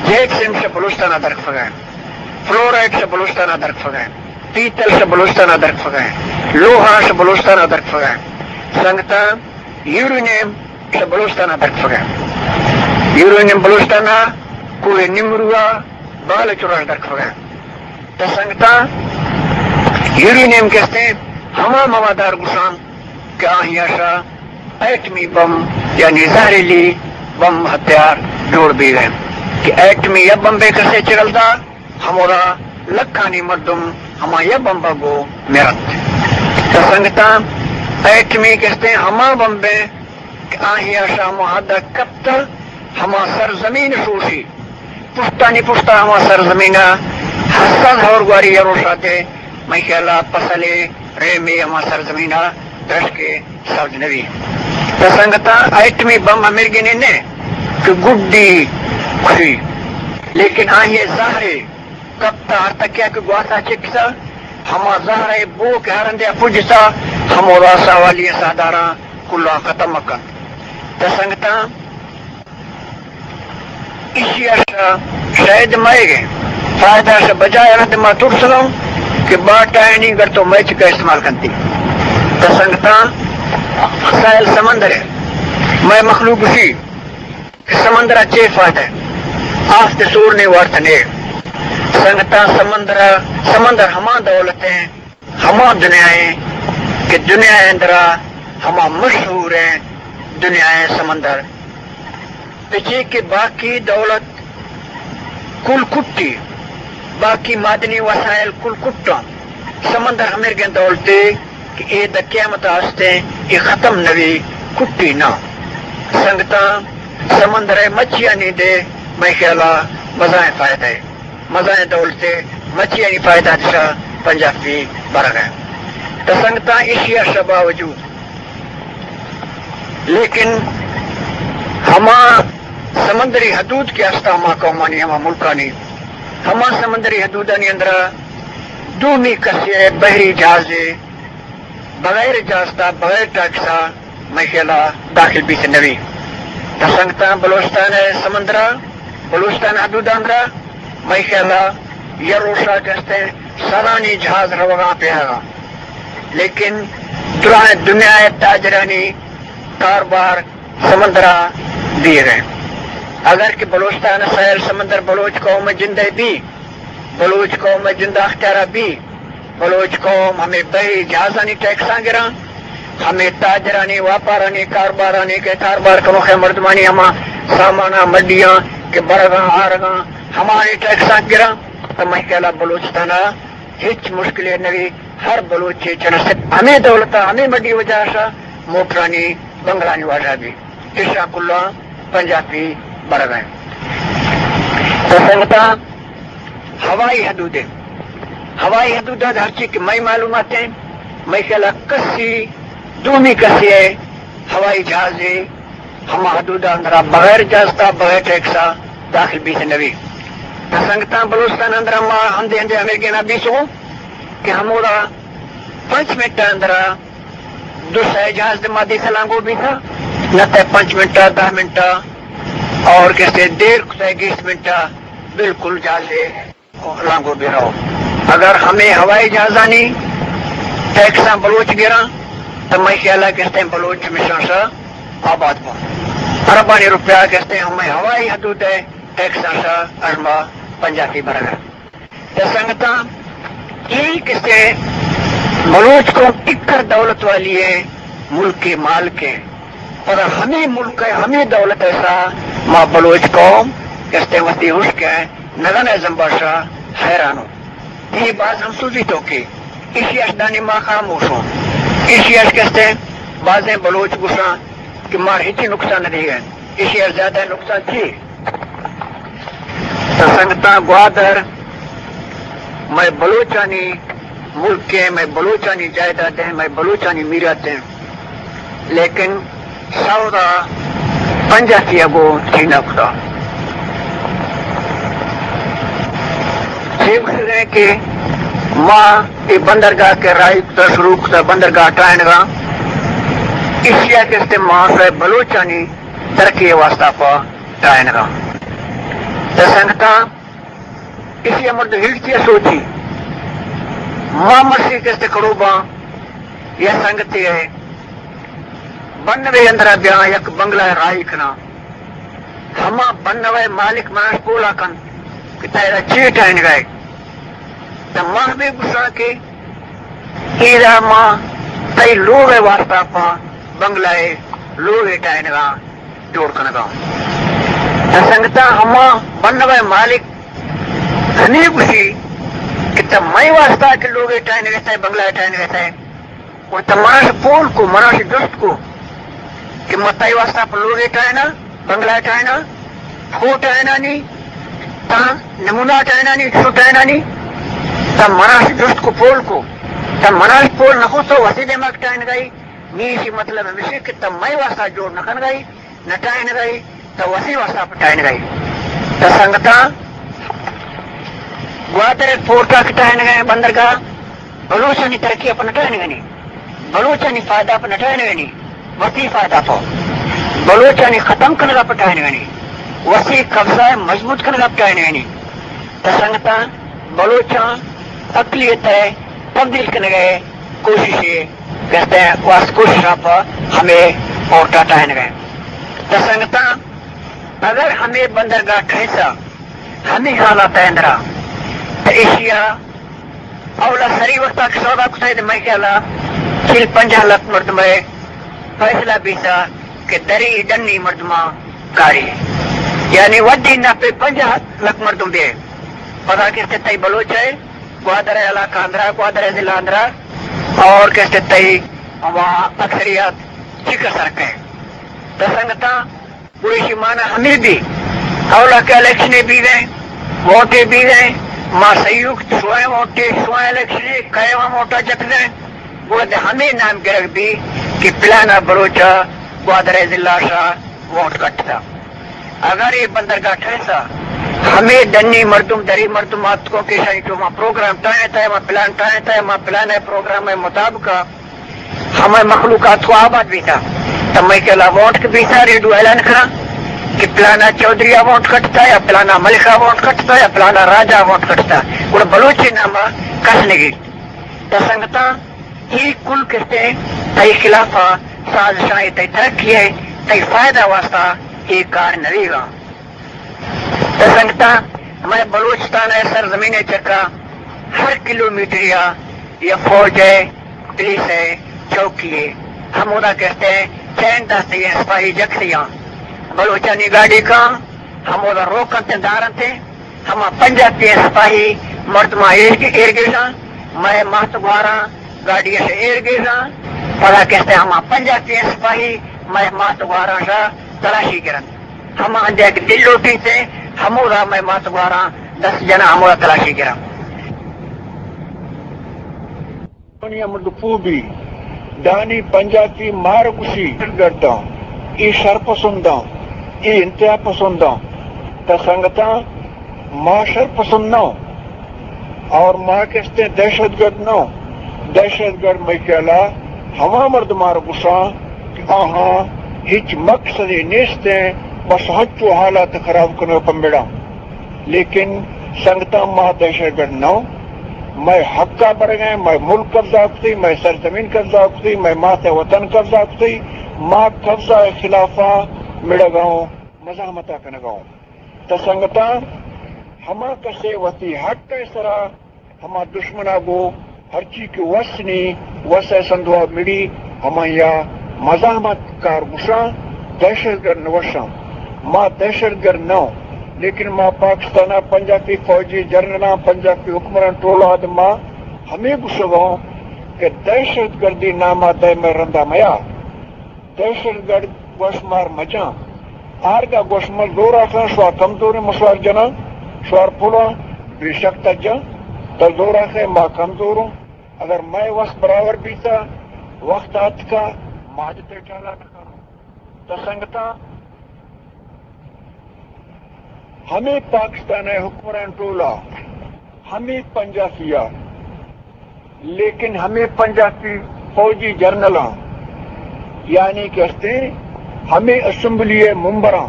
جیپسم شہ بلوچستان ءَ درکفگ ءَ ایں۔ فلورائٹ شہ بلوچستان ءَ درکفگ ءَ ایں۔ پیتل شہ بلوچستان ءَ درکفگ ءَ ایں۔ لوہا شہ بلوچستان ءَ درکفگ ءَ ایں۔ سنگتاں، یورینیم شہ بلوچستان ءَ درکفگ ءَ ایں۔ یورینیم بلوچستان ءَ کوہ نمرو ءَ بال چراش درکفگ ءَ ایں۔ تا سنگتاں، یورینیم کستے ہما موادار گوشاں کہ آہی ءَ شہ ایٹمی بم، یعنی زہریلی بم ہتھیار جوڑ بیگ ءَ ایں۔ کہ ایٹمی یا بمبے کسے چگل دا، ہمودا لکھانی مردم ہما یا بمبا گو مرت۔ تا سنگتاں، ایٹمی کستے ہما بمبے کہ آہی ءَ شہ ہما حد ءَ کپت، ہما سرزمین شوشی، پشتانی پشتا ہما سرزمین ءَ ہساد ہور گواری یا روشاتے، مئے خیال ءَ پسلے ریمے ہما سرزمین ءَ درشکے سبز نبی۔ تا سنگتاں، ایٹمی بم ہمیرگینے نہ کہ گڈی کشی، لیکن آہی زہرے کپتا ہر تکیا کہ گواتا چکسا، ہما زہرے بو کہ ہر ہندے پجسا، ہمودا ساوالی ساہداراں کلاں ختم کنت۔ تا سنگتاں، ایشی ءَ شہ شاید مئیگ ءَ فائدہ شہ بجائے رد ما ترسنوں کہ باٹائنی گر تو مئے چکا استعمال کنتی۔ تا سنگتاں، ساحل سمندر ءَ مئے مخلوق گوشی کہ سمندر ءَ چے فائدہ ایں؟ آس تے سور نے وارت نے۔ سنگتاں، سمندر ءَ، سمندر ہما دولت ایں، ہما دنیا ایں کہ دنیا ءِ اندرا ہما مشہور ایں دنیا ءِ سمندر۔ پچے کہ باقی دولت کل کٹی، باقی معدنی وسائل کل کٹاں، سمندر ہمیرگیں دولتے کہ اے دہ قیامت آستیں، اے ختم نوی، کٹی نہ۔ سنگتاں، سمندر ءِ مچیانی دے مئے خیالا مزائیں فائدہ ءِ، مزائیں دولت ءِ، مچیانی فائدہ دشا پنجاپی برگ ءِ۔ تو سنگتاں، ایشی ءَ شہ باوجود لیکن ہما سمندری حدود کہ ہستا ہما قومانی، ہما ملکانی، ہما سمندری حدودانی اندرا دومی کسے بحری جہازے بغیر اجازتا، بغیر ٹیکسا مئے خیالا داخل بیت نوی۔ تا سنگتاں، بلوچستان ءِ سمندرا، بلوچستان حدود اندرا مئے خیالا یا روشا کہ استیں سدانی جہاز روگاں پیہاگاں، لیکن درائیں دنیا ءِ تاجرانی کاربار سمندرا دیگ ءِ۔ اگر کہ بلوچستان ءِ ساحل سمندر بلوچ قوم ءِ جند ءِ بی، بلوچ قوم ءِ جند ءِ اختیارا بی، بلوچ قوم ہمے بحری جہازانی ٹیکساں گراں، ہمے تاجرانی، واپارانی، کاربارانی کہ کاربار کنوخیں مردمانی ہما ساماناں، مڈیاں کہ برگاں، آرگاں، ہمانی ٹیکساں گراں، تو مئے خیالا بلوچستان ءَ ہچ مشکلے نبی۔ ہر بلوچے چنست ہمے دولت ءَ، ہمے مڈی وجہ شا موٹرانی، بنگلانی واجہ بی۔ اشاں کلاں پنجاپی برگ ءَ انت۔ تو سنگتاں، ہوائی حدود ءَ، ہوائی حدود ءَ ہرچی کہ مئے معلومات ہیں، مئے خیال ءَ کسی دومی کسی ءِ ہوائی جہازے ہما حدود ءِ اندرا بغیر اجازتا، بغیر ٹیکسا داخل بیت نبی۔ تو سنگتاں، بلوچستان اندرا ما ہندے ہندے ہمے گنا بیسوں کہ ہمودا پنچ منٹ ءِ اندرا دو سئے جہاز دے ما دیسا لانگو بیتا، نہ تے پنچ منٹا، دہ منٹا، اور کسے دیر کتا گیست منٹا، بالکل جہاز دے لانگو بی رو۔ اگر ہمے ہوائی جہازانی ٹیکساں بلوچ گراں، تو مئے خیالا کستے بلوچ ہمیشاں شا آباد بو۔ اربانی روپیہ کستے ہمے ہوائی حدود ءِ ٹیکساں شا ارما پنجاپی برگ ءَ۔ تو سنگتاں، اے کسے بلوچ قوم ٹکر دولت والی ءِ، ملک ءِ مالک ءِ، پر ہمے ملک ءِ، ہمے دولت ءِ سا ما بلوچ قوم کستے وتی ہشک ءِ نگن ءِ زمبا شا حیرانوں۔ اے باز ہمسوزی توکے، ایشی اش دانی ما خاموشوں۔ ایشی اش کستے بازیں بلوچ گوشاں کہ مار ہچی نقصان نہ دیگ ءَ، ایشی اش زیادہ نقصان چی؟ تو سنگتاں، گوادر مئے بلوچانی ملک ءِ، مئے بلوچانی جائیداد ءِ، مئے بلوچانی میرات ءِ، لیکن سودا پنجاپی ءَ گوں چین ءَ کتا۔ چے گوشگ ءَ کہ ما اے بندرگاہ کہ راہی کتا، شروع کتا، بندرگاہ ٹائینگا، ایشی ءَ کستے ما سئے بلوچانی ترقی ءِ واسطہ پہ ٹائینگا۔ تو سنگتاں، ایشی ءَ مردم ہیلتی ءَ سوچی، ما مرشی کستے کڑوباں، یا سنگتے ءِ بنوے اندرا بیاں، یک بنگلہ ءَ راہی کناں، ہما بنوے ءِ مالک مناش پولا کنت کہ تیرا چے ٹائینگا ئے؟ تو ما ہمے گوشاں کہ ایرا ما تئی لوگ ءِ واسطہ پہ بنگلہ ءِ لوگ ءِ ٹائینگا جوڑ کنگا۔ تو سنگتاں، ہما بنوے ءِ مالک ہمے گوشی کہ تو مئے واسطہ کہ لوگ ءِ ٹائینگ ءَ ئے، بنگلہ ءِ ٹائینگ ءَ ئے، و تو مناش پول کو، مناش جست کو کہ ما تئی واسطہ پہ لوگ ءِ ٹائیناں، بنگلہ ءِ ٹائیناں، پھو ٹائینانی، تاں نمونہ ٹائینانی، چو ٹائینانی، تو مناش جست کو، پول کو، تو مناش پول نہ کو، تو وتی دیما کہ ٹائینگا ئے۔ نی ایشی مطلب ہمیش اِنت کہ تو مئے واسطہ جوڑ نہ کنگا ئے، نہ ٹائینگا ئے، تو وتی واسطہ پہ ٹائینگا ئے۔ تو سنگتاں، گوادر ءِ پورٹ ءَ کہ ٹائینگا ئے، بندرگاہ، بلوچانی ترقی ءَ پہ نہ ٹائینگا نی، بلوچانی فائدہ ءَ پہ نہ ٹائینگا نی، وتی فائدہ ءَ پہ، بلوچانی ختم کنگ ءَ پہ ٹائینگا نی، وتی قبضہ ءَ مضبوط کنگ ءَ پہ ٹائینگا نی۔ تو سنگتاں، بلوچاں اقلیت ءِ تبدیل کنگ ءِ کوشش ءَ کرتے، واست کوشش ءَ پہ ہمے پورٹ ءَ ٹائینگ ءَ۔ تو سنگتاں، اگر ہمے بندرگاہ ٹھیسا، ہمے حالات ءِ اندرا، تو ایشی ءَ اولا سری وقت ءَ کہ سودا کتگ، مئے خیال ءَ چل پنجاہ لکھ مردم ءِ فیصلہ بیتا کہ دری ڈنی مردماں کاری، یعنی وڈی نہ پہ پنجاہ لکھ مردم بے۔ پدا کہ تئی بلوچ ءِ گوادر ءِ علاقہ اندرا، گوادر ءِ ضلع اندرا، اور کہتے تئی ہما اکثریت چی کسر کئے۔ تو سنگتاں، گڑا ایشی مانا ہمے بی، اولا کہ الیکشنے بیگئے، ووٹے بیگئے، ما سیوک شوئیں ووٹے، شوئیں الیکشنے، کئے ووٹا جتگئے، گڑا دے ہمے نام گرگ بی کہ پلانا بلوچا گوادر ضلع شا ووٹ کٹتا۔ اگر اے بندرگاہ ٹھہسا، ہمے ڈنی مردم، دری مردم آتکو کہ شاہی تو ما پروگرام ٹائیں تا، ما پلان ٹائیں تا، ما پلان ہے پروگرام ہے مطابق ہمے مخلوقات کو آباد بیتا، تو مئے کلا ووٹ کے بیتا، ریڈیو اعلان کرا کہ پلانا چودھری ءَ ووٹ کٹتا یا پلانا ملک ءَ ووٹ کٹتا یا پلانا راجا ووٹ کٹتا، گڑا بلوچی نام ءَ کس نگیت۔ تو سنگتاں، اے کل کستے تئی خلاف ءَ سازشاں، اے تئی ترقی ہے، تئی فائدہ واسطہ اے کار نویگا۔ تو سنگتاں، مئے بلوچستان ءِ سرزمین ءِ چکا ہر کلومیٹر یا، یا فوج ءِ، پولیس ءِ چوکی ءِ، ہمودا کستے چین دستی ءِ سپاہی جکتیاں۔ بلوچانی گاڑی کاں ہمودا روک انت، دار انت، ہما پنجاپی ءِ سپاہی مردماں ایر، ایر گیژاں، مئے مات گواراں گاڑی ءَ ایر گیژاں، پدا کستے ہما پنجاپی ءِ سپاہی مئے مات گواراں شا تلاشی گرنت۔ ہما انجا کہ دل لوٹیت، ہمودا مئے مات گواراں دست جناں، ہمودا تلاشی گراں۔ دنیا مردم پوہ بی، دانی پنجاپی مار گوشی گرداں، اے شرپسنداں، اے انتہا پسنداں۔ تا سنگتاں، ما شرپسند نہ، اور ما کستے دہشت گرد نہ۔ دہشت گرد مئے خیالا ہما مردماں را گوشاں کہ آہاں ہچ مقصدے نیست، بس ہنچو حالات خراب کنگ پمڑاں۔ لیکن سنگتاں، ما دہشت گرد نہ، مئے حقا برگیں، مئے ملک قبضہ کتی، مئے سرزمین قبضہ کتی، مئے مات وطن قبضہ کتی، ما قبضہ خلافا مڑگاؤں، مزاحمتا کنگاؤں۔ تا سنگتاں، ہما کسے وتی حق ءِ سرا ہما دشمنا گو ہرچی کہ وس نی، وس ءِ سندوا مڑی، ہمایا مزاحمت کار گوشاں، دہشت گرد نہ گوشاں۔ ما دہشت گرد نہ، لیکن ما پاکستان ءِ پنجاپی فوجی جنرلاں، پنجاپی حکمران ٹولا اد ما ہمے گوشگاں کہ دہشت گردی ناما دائم رندا میا۔ دہشت گرد گوش مار مجاں۔ آرگا گوش مل زور آخاں، شوار کمزوریں، مشوار جناں، شوار پلاں، بے شک تا جاں، تا زور آخے ما کمزوروں۔ اگر مئے وس برابر بیتا، وقت آتکا، ما جتے ٹالا نہ کنوں۔ تا سنگتاں، ہمے پاکستان ءِ حکمران ٹولا، ہمے پنجاپی ءَ، لیکن ہمے پنجاپی فوجی جنرلاں، یعنی کہ ہستیں ہمے اسمبلی ءِ ممبراں،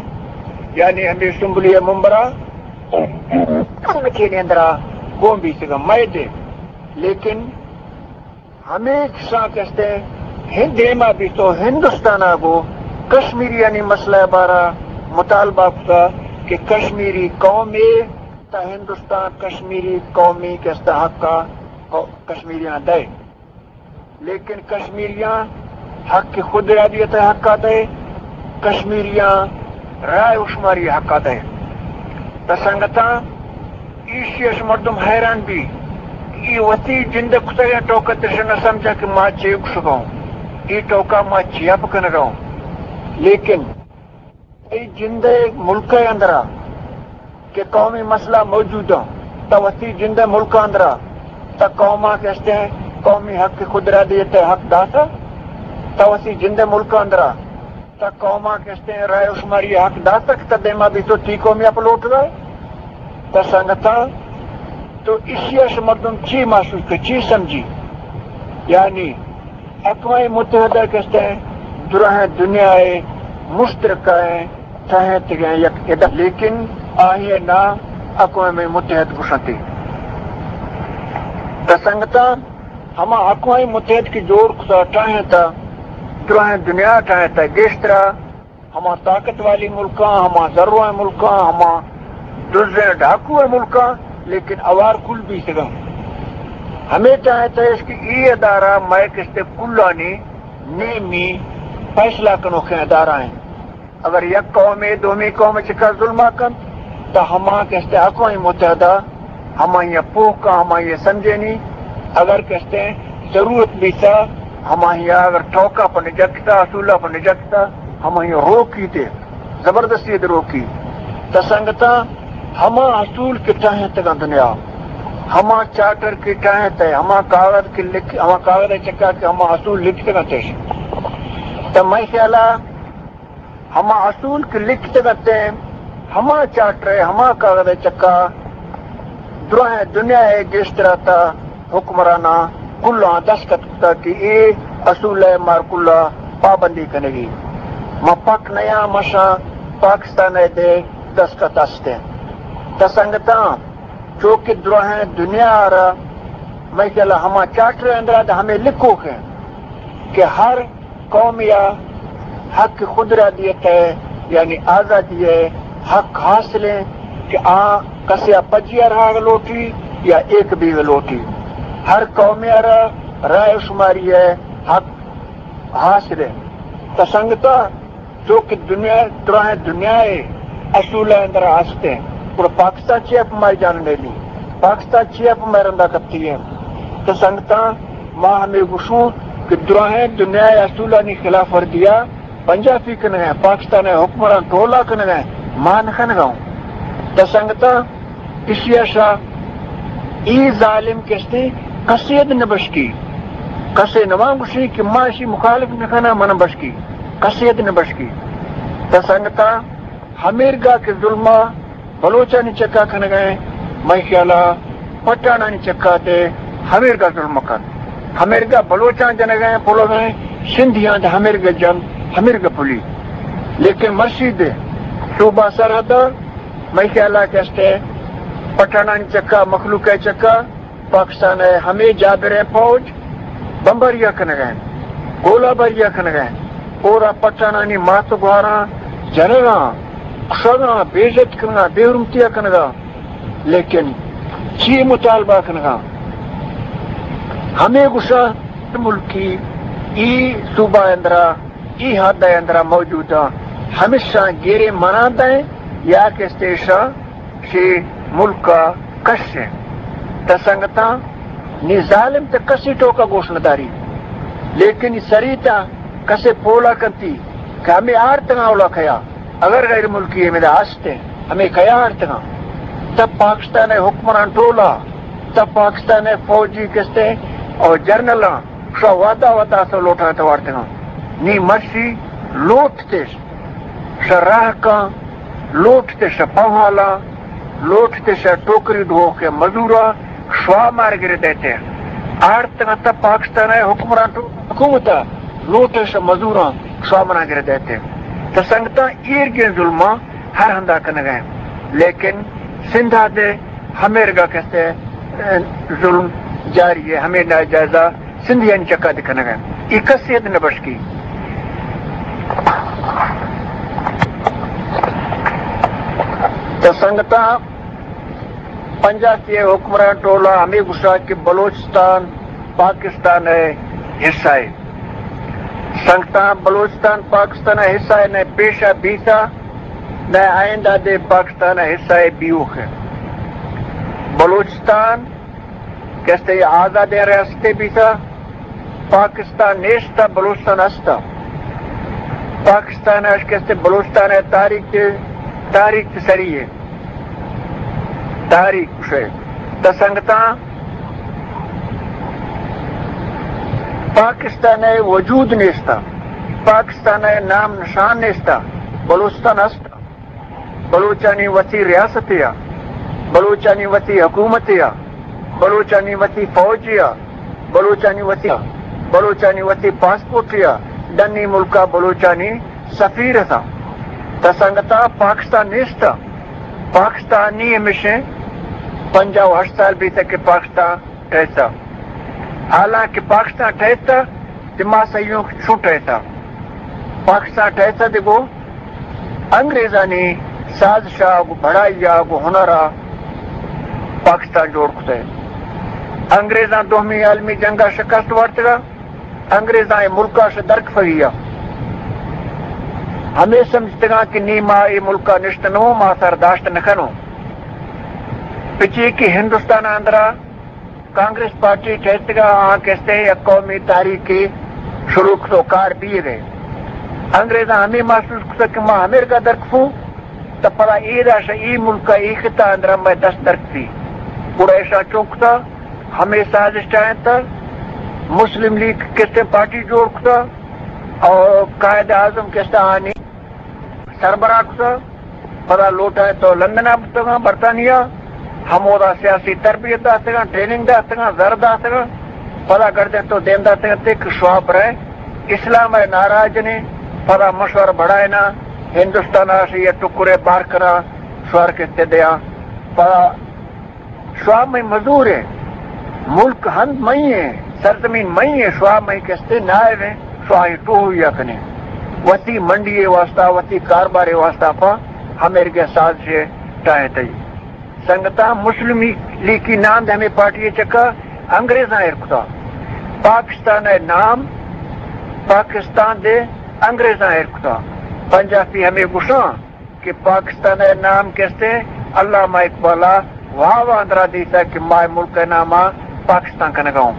یعنی ہمے اسمبلی ءِ ممبراں، کمیٹی نے اندرا گون بیتگا مئے دے، لیکن ہمے کساں کستے ہند دیما بیتو، ہندوستان ءَ گو کشمیریانی مسئلہ ءِ بارا مطالبہ کتا کہ کشمیری قومے تا ہندوستان کشمیری قومی کستا حقا کشمیریاں دے، لیکن کشمیریاں حق خود ارادیت ءِ حقا دے، کشمیریاں رائے و شماری حقا دے۔ تا سنگتاں، ایشی اش مردم حیران بی، ای وتی جند کتگیں ٹوکا ترش نہ سمجھا کہ ما چے گشگاؤں، ای ٹوکا ما چیا بکنگاؤں۔ لیکن ای جند ملک اندرا کہ قومی مسئلہ موجود اں، تا وتی جند ملک اندرا تا قوما کستے قومی حق خود ارادیت حق داتا، تا وتی جند ملک اندرا تا قوما کستے رائے و شماری حق داتا کہ تا دیما بیتو تی قومی اپ لوٹ گئے۔ تا سنگتاں، تو اسی اش مردم چی محسوس کہ چی سمجھی؟ یعنی اقوام متحدہ کستے دراہیں دنیا ءِ مشترکہ ٹھہینتگیں یک ادارہ، لیکن آئی ءِ نام اقوام متحد گوشنتی۔ تا سنگتاں، ہما اقوام متحد کہ جوڑ کتا، ٹھہینتا، دراہیں دنیا ٹھہینتا، گیشترا ہما طاقت والی ملکاں، ہما زرواں ملکاں، ہما دزیں ڈاکوئیں ملکاں، لیکن اوار کل بیتگاں۔ ہمے ٹھہینتا اش کہ ای ادارہ مئے کستے کلانی نیمی فیصلہ کنوکیں ادارہ ایں۔ اگر یک قومے دومی قوم چکا ظلما کنت، تا ہما کستے اقوام متحدہ ہمائی پوہ کا، ہمائی سمجھینی۔ اگر کستے ضرورت بیتا، ہماہیا اگر ٹوکا پہ نجکتا، اصولا پہ نجکتا، ہماہیا روکی تے، زبردستی تے روکی۔ تا سنگتاں، ہما اصول کہ ٹاہینتگاں دنیا، ہما چارٹر کہ ٹاہینتے، ہما کاغذ کہ لکھ، ہما کاغذ چکا کہ ہما اصول لکھتگاں تش۔ تا مئے خیالا ہما اصول کہ لکھتگ اتیں، ہما چارٹر ء، ہما کاغذ ء چکا دراہیں دنیا ء گیشتر ء تا حکمراناں کلاں دستخط کتا کہ اے اصول ء مار کلا پابندی کنگی۔ ما پک نیاں، مشاں پاکستان ء دے دستخط استیں۔ تا سنگتاں، چو کہ دراہیں دنیا ء را مئے خیال ء ہما چارٹر ء اندرا دے ہمے لکھوک انت کہ ہر قوم یا حق خود ارادیت ء، یعنی آزادی ء حق حاصل انت کہ آ کسے ء پجی ء رہگ لوٹی یا ایک بیگ لوٹی، ہر قوم ء را رائے شماری ء حق حاصل انت۔ تا سنگتاں، چو کہ دنیا، دراہیں دنیا ء اصول ء اندر است انت۔ گڑا پاکستان چیا پہ مئے جان نیلی؟ پاکستان چیا پہ مئے رندا کپتی انت؟ تو سنگتاں، ما ہمے گوشوں کہ دراہیں دنیا ء اصولانی خلاف ورزی ء پنجاب ء کنگ ء انت، پاکستان ء حکمران ٹولا کنگ ء انت، ما نہ کنگ ء اوں۔ تو سنگتاں، ایشی ء شا اے ظالم کستے کسے اد نہ بشکی، کسے نہ مان گوشی کہ ما اشی مخالف نہ کناں، من بشکی، کسے اد نہ بشکی۔ تا سنگتاں، ہمیرگا کہ ظلم ء بلوچانی چکا کنگ ء انت، مئے خیال ء پٹھانانی چکا تے ہمیرگا ظلم کن، ہمیرگا بلوچاں جنگ ء پلگ ء انت، سندھیاں تے ہمیرگا جن، ہمیرگا پلی۔ لیکن مرشی دے صوبہ سرحد ء مئے خیال ء کہ است ء پٹھانانی چکا، مخلوق ء چکا پاکستان ء ہمے جابریں فوج بمباری ء کنگ ء انت، گولہ باری ء کنگ ء انت، اور ء پٹھانانی مات گوھاراں جنگ ء، کشگ ء، بے عزت کنگ ء، بے حرمتی ء کنگ ء، لیکن چی مطالبہ کنگ ء؟ ہمے گوشاں ملکی ای صوبہ اندرا، ای حد ء اندرا موجود ء، ہمیشاں گیرے منان دیں یا کہ استیشاں شی ملک ء کش انت۔ تا سنگتاں، نی ظالم تے کسی ٹوکا گوش نہ داری، لیکن ای سری تا کسے پولا کنتی کہ ہمے آرتگاں اولا کیا، اگر غیر ملکی ہمے دا ہستے، ہمے کیا آرتگاں؟ تا پاکستان ء حکمران ٹولا، تا پاکستان ء فوجی کستے اور جنرلاں شا وعدہ وعدہ سو لوٹا توارتگاں۔ نی مرشی لوٹ تش شہ راہکاں، لوٹتے شہ پوہالاں، لوٹتے شہ ٹوکری ڈوہوکیں مزوراں، شوا مار گردیتے۔ آڑتگاں تا پاکستان ء حکمران تو حکومت ء لوٹے شہ مزوراں، شوا منا گردیتے۔ تا سنگتاں، ایرگیں ظلماں ہر ہندا کنگا انت، لیکن سندھا دے ہمیرگا کسے، ظلم جاری ہے، ہمے ناجائزہ سندھیانی چکا دے کنگا انت۔ ای کسے اد نہ بشکی۔ تو سنگتاں، پنجاسی ء حکمران ٹولا ہمے گوشا کہ بلوچستان پاکستان ء حصہ ہے۔ سنگتاں، بلوچستان پاکستان ء حصہ ء نہ پیشا بیتا، نہ آئندہ دے پاکستان ء حصہ ء بیوک ہے۔ بلوچستان کستے آزادیں ریاستے بیتا، پاکستان نیستا، بلوچستان ہستا۔ پاکستان اش کستے بلوچستان ء تاریخ تے، تاریخ تے سری ہے۔ تاریخ کشے۔ تا سنگتاں، پاکستان ء وجود نیستا، پاکستان ء نام نشان نیستا، بلوچستان ہستا۔ بلوچانی وتی ریاستے ء، بلوچانی وتی حکومتے ء، بلوچانی وتی فوجے ء، بلوچانی وتی، بلوچانی وتی پاسپورٹے ء، ڈنی ملکا بلوچانی سفیر اتاں۔ تا سنگتاں، پاکستان نیست۔ پاکستان نی ہمیشیں، پنجاہ و ہشت سال بیتگ کہ پاکستان ٹہیتا۔ حالانکہ پاکستان ٹہیتا، تے ما سہی اوں کہ چوں ٹہیتا۔ پاکستان ٹہیتا دے گوں انگریزانی سازشا، گوں بڑائیا، گوں ہنرا پاکستان جوڑ کتے۔ انگریزاں دومی عالمی جنگا شکست وارتگا، انگریزاں اے ملکا شہ درکفگی ء۔ ہمے سمجھتگاں کہ نی ما اے ملکا نشتنوں، ما سر داشت نہ کنوں۔ پچے کہ ہندوستان اندرا کانگریس پارٹی ٹھہرتگا، آ کستے یک قومی تحریکے شروع کتو، کار بیگے۔ انگریزاں ہمے محسوس کتو کہ ما امریکہ درکفوں، تہ پدا اے داشا اے ملک ء اے خطہ اندرا مئے دست درکفی۔ گڑا ایشاں چون کتا، ہمے سازش ٹاہینتا، مسلم لیگ کستے پارٹی جوڑ کتا اور قائد اعظم کستے آنی سربراہ کتا۔ پدا لوٹائے تو لندن ء بوتگاں، برطانیہ، ہمودا سیاسی تربیت داتگاں، ٹریننگ داتگاں، زر داتگاں۔ پدا گردے تو دیم داتگاں تے کہ شواب رہے اسلام ء نعرہ جنے، پدا مشور بڑھائنا، ہندوستان ء شی ٹکرے بار کرا، شوار کستے دیا۔ پدا شواب مئی مزور ہیں، ملک ہند مئی ہیں، سرزمین مئی ہیں، شواب مئی کستے نائب ہیں، شواب ٹوہ یا کنے۔ وتی منڈی واسطہ، وتی کاربار واسطہ پا ہمیں ارگے سازش ٹائیں تئی۔ سنگتاں، مسلم لیگی نام دے ہمیں پارٹی چکا انگریزاں ایر کتا۔ پاکستان ء نام پاکستان دے انگریزاں ایر کتا۔ پنجابی ہمیں گشاں کہ پاکستان ء نام کستے علامہ اقبال ء واو اندرا دیتا کہ مائے ملک ء نام ء پاکستان کنگا ہوں۔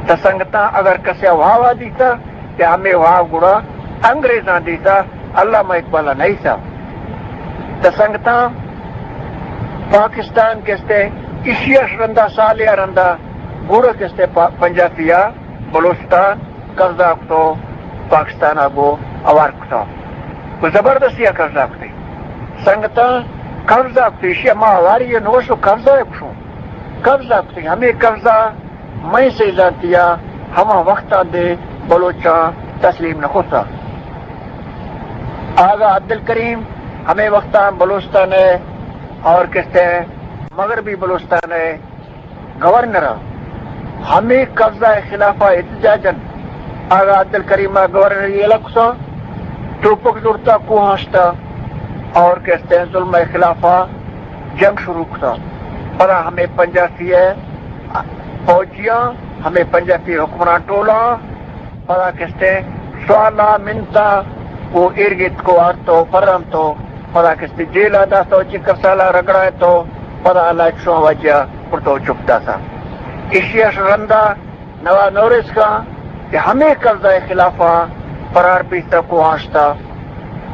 تا سنگتاں، اگر کسے واو ء دیتا کہ ہمیں واو گڑا انگریزاں دیتا، علامہ اقبال ء نہیں سا۔ تا سنگتاں، پاکستان کستے ایشی اش رندا، سالے ء رندا گڑا کستے پا-، پنجابی ء بلوچستان قبضہ کتو، پاکستان ء گو اوار کتو۔ گو زبردستی ء قبضہ کتے۔ سنگتاں، قبضہ کتے، ایشی ء ما اواری ء نوشو قبضہ ء گشوں۔ قبضہ کتے، ہمیں قبضہ مئے سیزانتی ء ہما وقتاں دے بلوچاں تسلیم نہ کتا۔ آغا عبدالکریم ہمیں وقتاں بلوچستان ء اور کستے مغربی بلوچستان ء گورنر ء ہمیں قبضہ ء خلاف ء احتجاجاً آغا عبدالکریم ء گورنر یلہ کتا، توپک زرتا، کوہاں شتا اور کستے ظلم ء خلاف ء جنگ شروع کتا۔ پدا ہمیں پنجابی ء فوجیاں، ہمیں پنجابی حکمران ٹولاں پدا کستے سوالا منتا و ایرگیت کو آرتو پرانتو، پدا کستے جیلا داتو، چکر سالا رگڑائے تو، پدا اللہ ایک شو وجہ پرتو چپ داتا۔ ایشی اش رندا نوا نوریس کا کہ ہمیں قبضہ خلافا فرار پیستا کو آشتا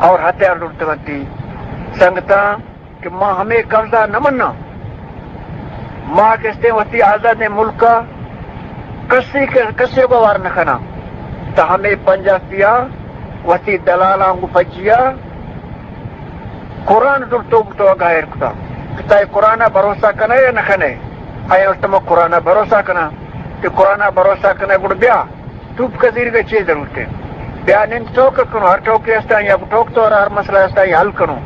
اور ہتھیار لڑتگنتی۔ سنگتاں، کہ ما ہمے قبضہ نہ مناں، ما کستے وتی آزادیں ملک ء کسی، کسی کو وار نہ کناں، تہ ہمے پنجابی ء وتی دلالاں گوں پجیا قرآن زرتو بوتو گائر کتا کہ تئی قرآن ء بھروسہ کنے یا نہ کنے؟ آیا گوشت ما قرآن ء بھروسہ کناں۔ کہ قرآن ء بھروسہ کنے گڑ بیا۔ توپ کزیرگ ء چے ضرورت ہے؟ بیا نند ٹوک کنو، ہر ٹوکے است آئی ء ٹوک تو، ہر مسئلہ است آئی حل کنو۔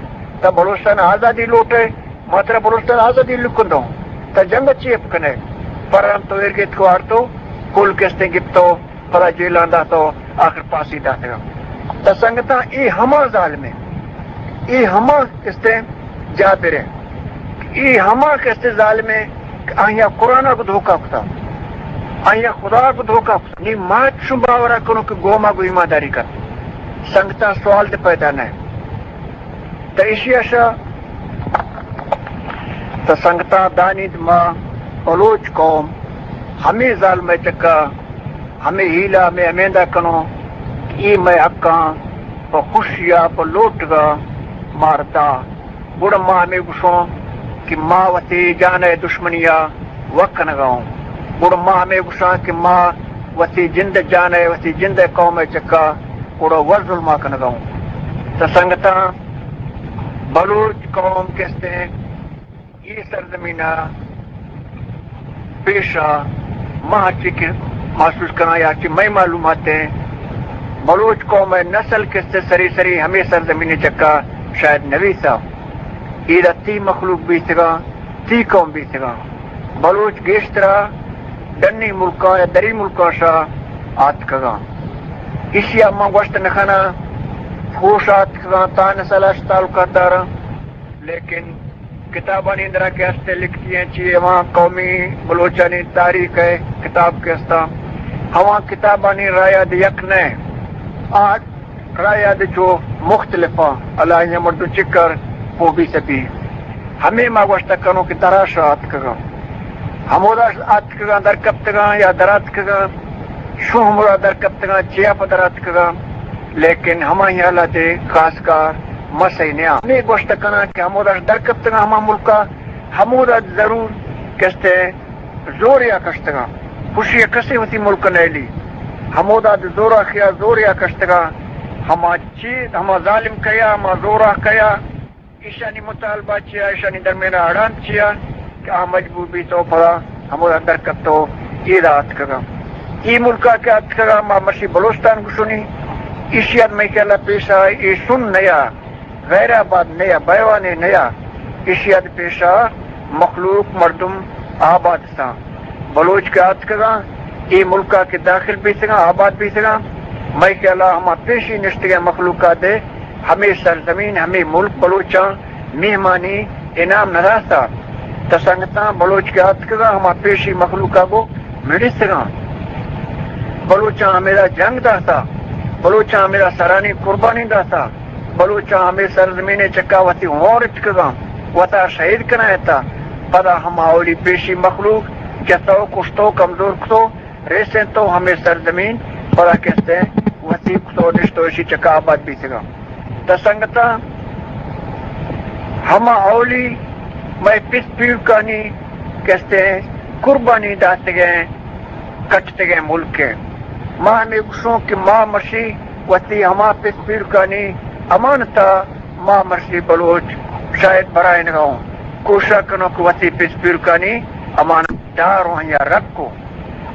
تا بلوچستان آزادی لوٹے، ما ترا بلوچستان آزادی لکن دوں۔ تا جنگ چی اپ کنے؟ پران تو ایر گیت کو آرتو، کل کستیں گپتو، پدا جیلان داتو، آخر پاسی داتگا۔ تا سنگتاں، اے ہما ظالم ہے، اے ہما کستیں جابر ہے، اے ہما کستیں ظالم ہے کہ آئیا قرآن کو دھوکا کتا، آئیا خدا کو دھوکا کتا۔ نی ما چون باورا کنوں کہ گوما گو ایمانداری کن۔ سنگتاں سوال دے پیدا نہ۔ تہ ایشی اشا، تہ سنگتاں دانیت ما بلوچ قوم ہمے ظالمے چکا، ہمے ہیلا، ہمے ہمیندہ کنوں کہ اے مئے حقاں پہ خوشیا، پہ لوٹگا مارتا۔ گڑا ما ہمے گوشوں کہ ما وتی جان ء دشمنی ء وک کنگا اوں۔ گڑا ما ہمے گوشاں کہ ما وتی جند ء جان ء، وتی جند ء قوم ء چکا گڑا ور ظلما کنگا اوں۔ تہ سنگتاں، بلوچ قوم کستیں اے سرزمین ء پیشا ما ہرچی کہ محسوس کناں یا ہرچی مئے معلومات ہیں، بلوچ قوم ء نسل کستے سری سری ہمے سرزمین چکا شاید نویسا۔ ایدا تی مخلوق بیتگاں، تی قوم بیتگاں۔ بلوچ گیشترا ڈنی ملکاں یا دری ملکاں شا آتکگاں۔ ایشی ء ما گوشت نہ کناں، پوش آتکگاں، تا نسل اش تعلقات داراں۔ لیکن کتابانی اندرا کہ ہستے لکھتی ہیں، چی ہواں قومی بلوچانی تاریخ ہے کتاب کے ہستا، ہواں کتابانی رائے د یک نہ، آ رائے د چو مختلف ہیں، اللہ یہ مردو چکر پو بی سپی۔ ہمیں ما گوشت کنوں کہ درا شا آتکگاں۔ ہمودا آتکگاں، درکپتگاں یا دراتکگاں، شو ہمودا درکپتگاں، چیا پہ دراتکگاں، لیکن ہمائی حالت خاص کار مسئلہ نیا۔ ہمے گوشت کناں کہ ہمودا درکپتگاں ہما ملکا، ہمودا ضرور کستے زوریا کشتگاں، خوشی کسے وتی ملک نیلی۔ ہمودا زورا خیا زوریا کشتگاں، ہما چی، ہما ظالم کیا، ہما زورا کیا، ایشانی مطالبہ چیا، ایشانی درمیان اڑاند چیا کہ آ مجبور بیتو پدا ہمودا درکپتو ایدا آتکگاں۔ ای ملکا کہ آتکگاں، ما مشی بلوچستان گشنی، ایشی اد مئی کلا پیشا ای سن نیا، غیر آباد نیا، بیوانے نیا، ایشی اد پیشا مخلوق مردم آباد ساں۔ بلوچ کہ آتکگاں، اے ملکا کہ داخل بیتگاں، آباد بیتگاں، مئے خیالا ہما پیشی نشتگیں مخلوقا دے ہمے سرزمین، ہمے ملک بلوچاں مہمانی انعام نہ داتا۔ تہ سنگتاں، بلوچ کہ آتکگاں، ہما پیشی مخلوقا گو مڑستگاں۔ بلوچاں ہمیدا جنگ داتا، بلوچاں ہمیدا سرانی قربانی داتا۔ بلوچاں ہمے سرزمین ء چکا وتی ہور اتکگاں، وتا شہید کنائینتا۔ پدا ہما اولی پیشی مخلوق جتو، کشتو، کمزور کتو، ریسینتو ہمے سرزمین، پدا کستے وتی کتو نشتو، اشی چکا آباد بیتگاں۔ تہ سنگتاں، ہما اولی مئے پس پیرکانی کستے قربانی داتگیں کٹتگیں ملک ء۔ ما ہمے گوشوں کہ ما مرشی وتی ہما پس پیرکانی امانتا، ما مرشی بلوچ شاید برائینگا اوں، کوشاں کنوں کہ وتی پس پیرکانی امانت دار اوں یا رکھ اوں۔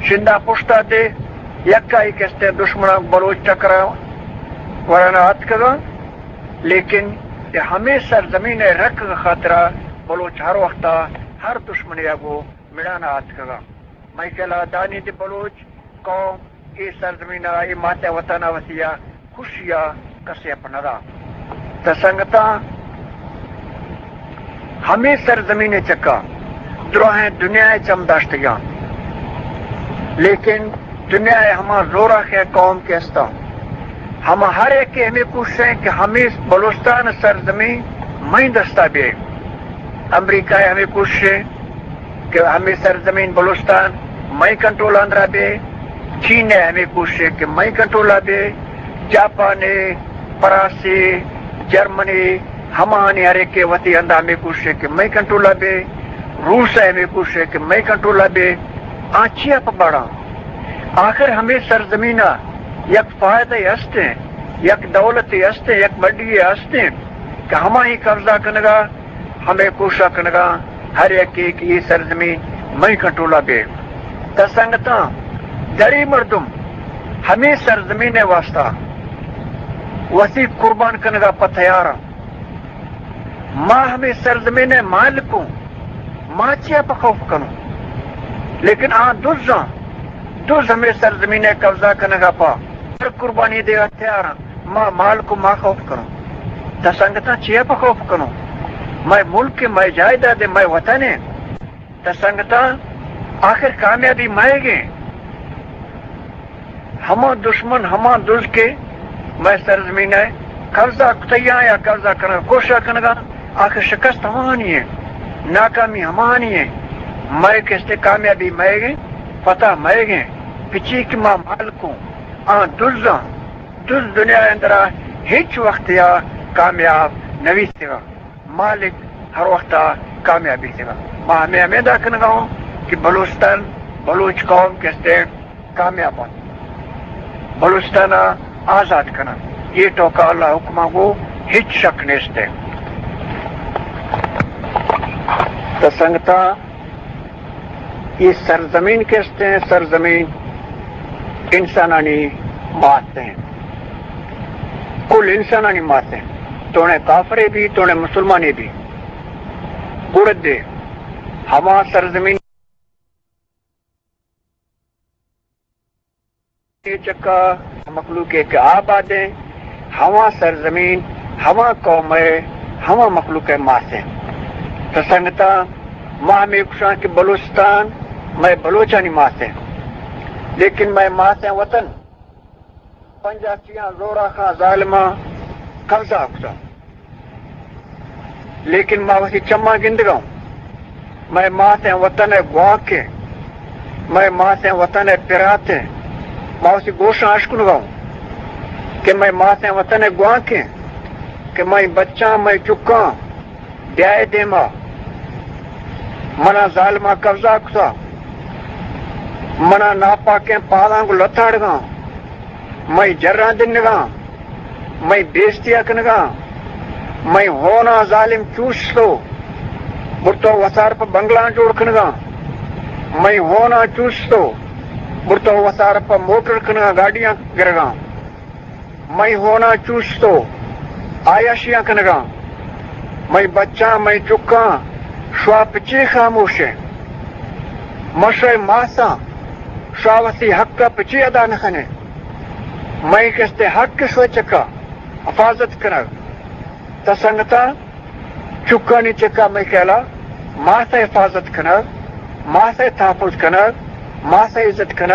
شندا پشتا دے، یکائی کستے دشمناں بلوچ ٹکرا ورانا آتکگاں، لیکن اے ہمے سرزمین ء رکھ خاطرا بلوچ ہر وقتا ہر دشمنے ء گو مڑانا آتکگاں۔ مئے خیالا دانی دی بلوچ قوم اے سرزمین ء، اے مات ء وطن ء وتی ء خوشی ء کسے ء پہ ندا۔ تہ سنگتاں، ہمے سرزمین ء چکا دراہیں دنیا ء چم داشتگاں، لیکن دنیا ء ہما زوراخیں قوم کہ استاں، ہما ہر یکے ہمے کوشش ایں کہ ہمے بلوچستان سرزمین مئیں دستا بیئے۔ امریکہ ء ہمے کوشش ایں کہ ہمے سرزمین بلوچستان مئیں کنٹرول اندرا بے، چین ء ہمے کوشش کہ مئیں کنٹرول ء بے، جاپان ء، فرانس ء، جرمنی، ہمانی ہر ایک وتی ہندا ہمے کوشش کہ مئیں کنٹرول ء بے، روس ء ہمے کوشش کہ مئیں کنٹرول ء بے۔ آ چیا پہ بڑا؟ آخر ہمے سرزمین ء یک فائدہ است ایں، یک دولت است ایں، یک بڈی است ایں کہ ہمائی قبضہ کنگا ہمے کوشاں کنگاں ہر یکے کہ اے سرزمین مئیں کنٹرولا بے۔ تہ سنگتاں، دری مردم ہمے سرزمین ء واسطہ وتی قربان کنگا پہ تیاراں۔ ما ہمے سرزمین ء مالک اوں، ما چیا پہ خوف کنوں؟ لیکن آ دزاں، دز ہمے سرزمین ء قبضہ کنگا پہ ہر قربانی دیگا تیاراں۔ ما مالک و ما خوف کنوں۔ تہ سنگتاں، چیا پہ خوف کنوں؟ مئے ملک ء، مئے جائیداد ء، مئے وطن ء۔ تہ سنگتاں، آخر کامیابی مئیگیں؟ ہما دشمن، ہما دز کہ مئے سرزمین ء قبضہ کتیاں یا قبضہ کنگ کوشاں کنگا، آخر شکست ہمانی ء، ناکامی ہمانی ء۔ مئے کستے کامیابی مئیگیں، فتح مئیگیں، پچی کہ ما مالک اوں، آ دزاں۔ دز دنیا اندرا ہچ وقت یا کامیاب نہ بیتگا۔ مالک ہر وقتا کامیاب بیتگا۔ ما ہمے ہمے دا کنگا اوں کہ بلوچستان، بلوچ قوم کستے کامیاب بنت۔ بلوچستان آزاد کنن۔ اے ٹوکا اللہ حکما گو ہچ شک نیست ہے۔ تو سنگتا، اے سرزمین کستے ہیں، سرزمین انسانانی مات ہیں، کل انسانانی مات ہیں، توڑے کافرے بھی، توڑے مسلمانے بھی۔ گڑدے ہما سرزمین چکا مخلوق ء کہ آباد ہیں، ہما سرزمین، ہما قوم ء، ہما مخلوق ء ماس ہیں۔ تو سنگتاں، ما ہمے گوشاں کہ بلوچستان مئے بلوچانی ماس ہیں، لیکن مئے ماس ہیں وطن پنجاپیاں، زوراخاں، ظالماں قبضہ کتا۔ لیکن ما وتی چماں گندگا اوں۔ مئے ماتیں وطن ءِ گوانکیں، مئے ماتیں وطن ءِ پراتیں، ما وتی گوشاں اشکنگا اوں کہ مئے ماتیں وطن ءِ گوانکیں، کہ مئے بچاں، مئے چکاں، بیائے دیما، منا ظالماں قبضہ کتا، منا ناپاکیں پالاں گوں لتاڑگاں، مئے جراں دنگاں، مئے بیستیا کنگاں، مئے ہوناں ظالم چوشتو، برتو وسار پہ بنگلاں جوڑ کنگاں، مئے ہوناں چوشتو، برتو وسار پہ موٹر کنگاں، گاڑیاں گرگاں۔ مئے ہوناں چوشتو، عیاشیاں کنگاں۔ مئے بچاں، مئے چکاں، شوا پچی خاموشیں؟ مشئے ماساں، شوا وتی حق ءَ پچی ادا نہ کنے؟ مئے کستے حق شوئے چکا حفاظت کنگ۔ تا سنگتاں، چکانی چکا مئے خیالا ماسئے حفاظت کنگ، ماسئے تحفظ کنگ، ماسئے عزت کنگ،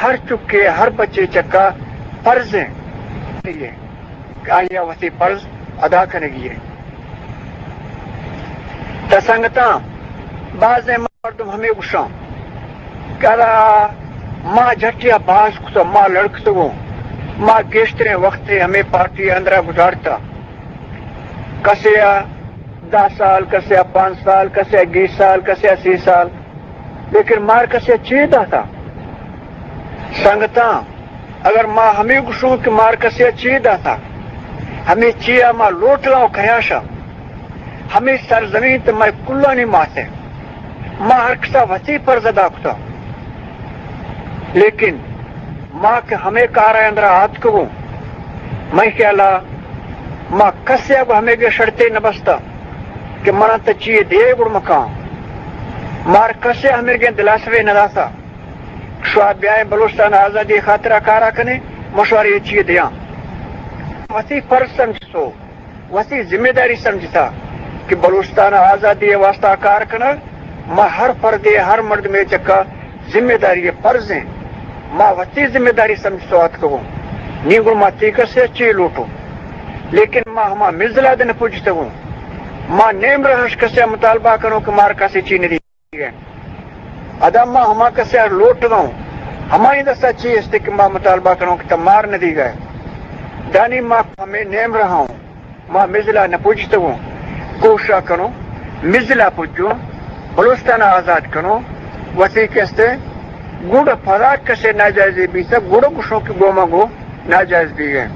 ہر چکے، ہر بچے چکا فرض ایں کہ آئی ءَ وتی فرض ادا کنگی ایں۔ تا سنگتاں، بازیں مردم ہمے گوشاں کہ ارا ما جھٹیا باز کتو، ما لڑکتگوں، ما گیشتریں وقتے ہمے پارٹی اندرا گزارتا۔ کسے ءَ دہ سال، کسے ءَ پانچ سال، کسے ءَ بیس سال، کسے ءَ سی سال، لیکن مار کسے ءَ چی داتا؟ سنگتاں، اگر ما ہمے گوشوں کہ مار کسے ءَ چی داتا، ہمے چی ءَ ما لوٹگاں و کیاں شا، ہمے سرزمین تو مئے کلانی مات ءِ، ما ہر کسا وتی فرض ادا کتا۔ لیکن ما کہ ہمے کار ءِ اندرا آتکگوں، مئے خیالا ما کسے ءَ گوں ہمے گے شرطے نہ بستا کہ منا تو چیے دے گڑ مکاں۔ مار کسے ءَ ہمے گے دلاسرے نہ داتا۔ شوا بیائیں بلوچستان آزادی خاطرا کارا کنیں، مشوارے چیے دیاں۔ وتی فرض سمجھتو، وتی ذمہ داری سمجھتا کہ بلوچستان آزادی ءِ واسطہ کار کنگ ما ہر فردے، ہر مردمے چکا ذمہ داری ءِ فرض ایں۔ ما وتی ذمہ داری سمجھتو آتکگوں۔ نی گڑ ما تی کسے ءَ چی لوٹوں؟ لیکن ما ہما مزلا دے نہ پجتگوں۔ ما نیم رہش کسے ءَ مطالبہ کنوں کہ مار کسے چی ندی۔ ادا ما ہما کسے ءَ لوٹگاں، ہمائی دستا چی استے کہ ما مطالبہ کنوں کہ تا مار نہ دیگا۔ دانی ما ہمے نیم رہاں، ما مزلا نہ پجتگوں، کوشا کنوں، مزلا پجوں، بلوچستان آزاد کنوں، وتی کستے گڑ پدا کسے ناجائزے بیتا، گڑ گوشوں کہ گوما گو ناجائز بیگیں۔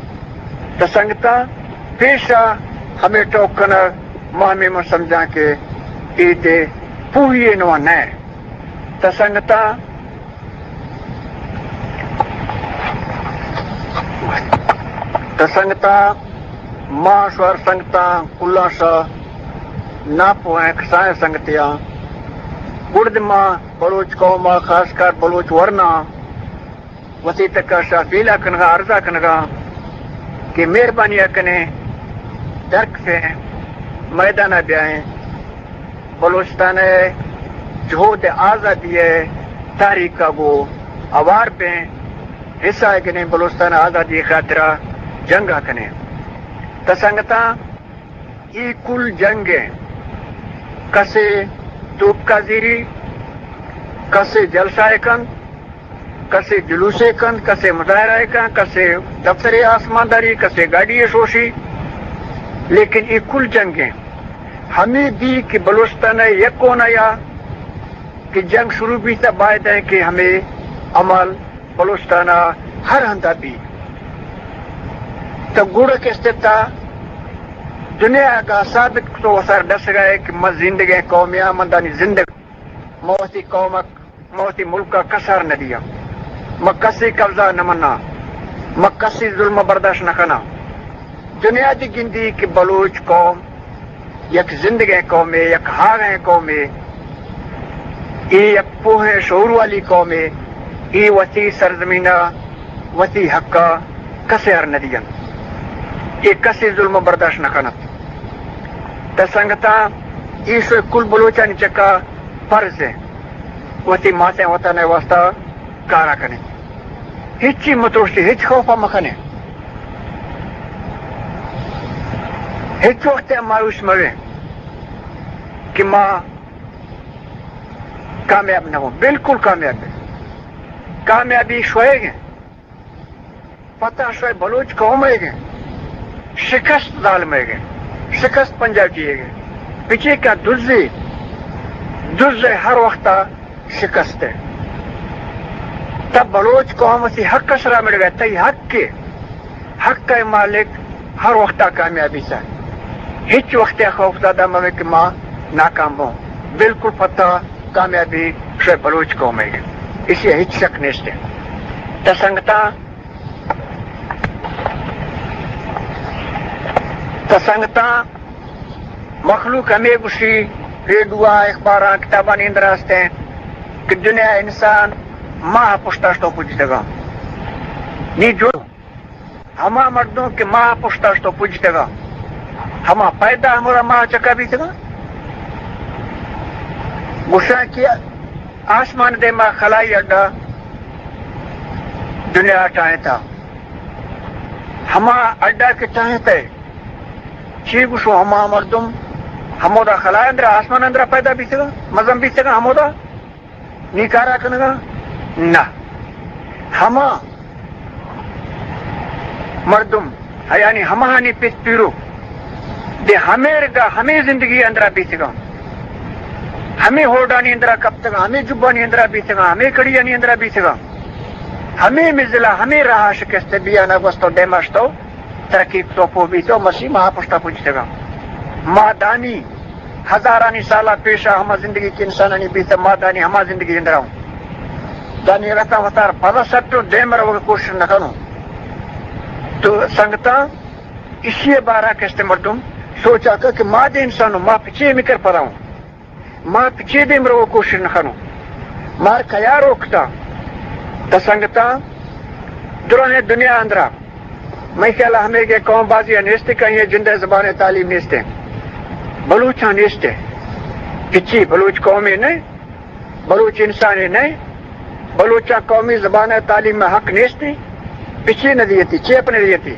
تا سنگتاں، پیشا ہمے ٹوک کنگ، ما ہمے من سمجھاں کہ اے دے پوہی نوا نہ۔ تا سنگتاں، تا سنگتاں، ما شوار سنگتاں، کلاں شا ناپوہیں کسائیں سنگتیاں، گڑد ما بلوچ قوم ءَ، خاص کر بلوچ ورنا، وتی تکا شا اپیلا کنگا، عرضا کنگا کہ مہربانی کنیں، درکفیں، میدانا بیائیں، بلوچستان ءِ جہد آزادی ءِ تحریک ءَ گوں ہوار بیں، حصہ گنیں، بلوچستان آزادی خاطرا جنگا کنیں۔ تا سنگتاں، اے کل جنگ ایں۔ کسے توپکا زیری، کسے جلسہ ءَ کنت، کسے جلوسے کنت، کسے مظاہرہ ءَ کنت، کسے دفتر ءِ آسمانداری، کسے گاڑی ءَ شوشی، لیکن اے کل جنگ ایں۔ ہمے دی کہ بلوچستان ءِ یک کونا یا کہ جنگ شروع بیتا، باید ایں کہ ہمے عمل بلوچستان ءَ ہر ہندا بی۔ تو گڑ کستے تا دنیا ءَ ثابت کتو وسار ڈسگا اے کہ من زندگیں قومے آں، من دانی زندگ، من وتی قوم ءَ، من وتی ملک ءَ کسار نہ دیاں، من کسی قبضہ نہ مناں، من کسی ظلم برداشت نہ کناں۔ دنیا دی گندی کہ بلوچ قوم یک زندگیں قومے، یک ہاغیں قومے، اے یک پوہیں شعور والی قومے، اے وتی سرزمین ءَ وتی حق ءَ کسے ہر نہ دیاں، اے کسے ظلم برداشت نہ کنت۔ تا سنگتاں، اے شوئے کل بلوچانی چکا فرض ایں وتی ماتیں وطن ءِ واسطہ کارا کنیں۔ ہچی مترسی، ہچ خوفا مکنیں۔ ہچ وقت مایوس مبیں کہ ما کامیاب نہ بو، بالکل کامیاب نہ۔ کامیابی شوئے گے، فتح شوئے بلوچ قوم ئے گے، شکست ظالم ئے گے، شکست پنجابی ئے گے۔ پچے کا دزے، دزے ہر وقتا شکست ئے۔ تب بلوچ قوم سی حق سرا مڑ گئے، تئی حق کے، حق کا مالک ہر وقتا کامیابی سا۔ ہچ وقت خوف زدہ مہ بے کہ ما ناکام بوں۔ بالکل فتح کامیابی شوئے بلوچ قوم ئے گے۔ اسی ہچ شک نیست ئے۔ تا سنگتاں، تا سنگتاں، مخلوق ہمے گوشی، ریڈیو ءَ، اخباراں، کتابانی اندر است ایں کہ دنیا ءَ انسان ماہ ءِ پشتا شتو پجتگاں۔ نی جو ہما مردم کہ ماہ ءِ پشتا شتو پجتگاں، ہما پیدا ہمودا ماہ ءِ چکا بیتگاں۔ گوشاں کہ آسمان ءِ دیما خلائی اڈا دنیا ءَ ٹاہینتا۔ ہما اڈا کہ ٹاہینتہ، چی گوشو، ہما مردم ہمودا خلا اندرا، آسمان اندرا پیدا بیتگاں، مزن بیتگاں ہمودا، نی کارا کنگا؟ نہ۔ ہما مردم، یعنی ہماہانی پت پیرو، دے ہمے رگا، ہمے زندگی اندرا بیتگاں، ہمے ہوڈانی اندرا کپتگاں، ہمے جبانی اندرا بیتگاں، ہمے کڑیانی اندرا بیتگاں، ہمے مزلا، ہمے راہا شکست بیانا گوستو، دیما شتو، ترقی کتو، پوہ بیتو، مرچی ماہ ءِ پشتا پجتگاں۔ ما دانی ہزارانی سالا پیشا ہما زندگی کہ انسانانی بیتہ، ما دانی ہما زندگی اندرا اوں۔ دانی رتا وتار پدا سٹو، دیما روگا کوشش نکنوں۔ تو سنگتاں، اشی بارا کستے مردم سوچا کہ، کہ ما دے انسانوں، ما پچے مکر پدا اوں۔ ما پچے دیم رو کوشش نکنوں۔ مار کیا روکتا؟ تا سنگتاں، درہیں دنیا اندرا، مئے خیالا ہمے کہ قوم بازی نیستے کہ آئی جندے زبان تعلیم نیستے۔ بلوچاں نیستے۔ پچی بلوچ قومے نئے، بلوچ انسانے نئے، بلوچاں قومی زبان تعلیم حق نیستے۔ پچی نہ دیتی، چیپ نہ دیتی۔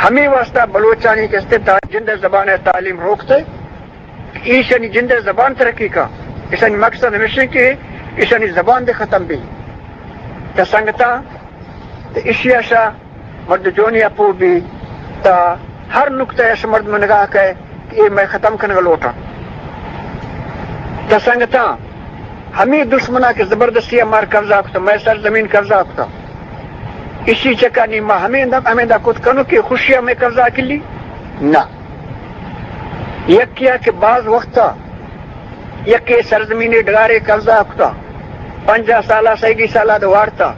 ہمے واسطہ بلوچانی کستے تا جندے زبان تعلیم روکتے۔ ایشانی جند ءِ زبان ترقی کا۔ ایشانی مقصد ہمیش ایں کہ ایشانی زبان دے ختم بی۔ تا سنگتاں، تا ایشی اشا مرد جونی اپو بی، تا ہر نقطہ اش مرد من نگاہ کئے کہ اے مئے ختم کنگ لوٹاں۔ تا سنگتاں، ہمے دشمنا کہ زبردستی مار قبضہ کتا، مئے سرزمین قبضہ کتا، ایشی چکا نی ما ہمیندا، ہمیندا کت کنوں کہ خوشی ہمیں قبضہ کلی؟ نہ۔ یکیا کہ باز وقتا یکے سرزمین ڈگارے قبضہ کتا، پنجاہ سالا، سیگی سالا دو وارتا،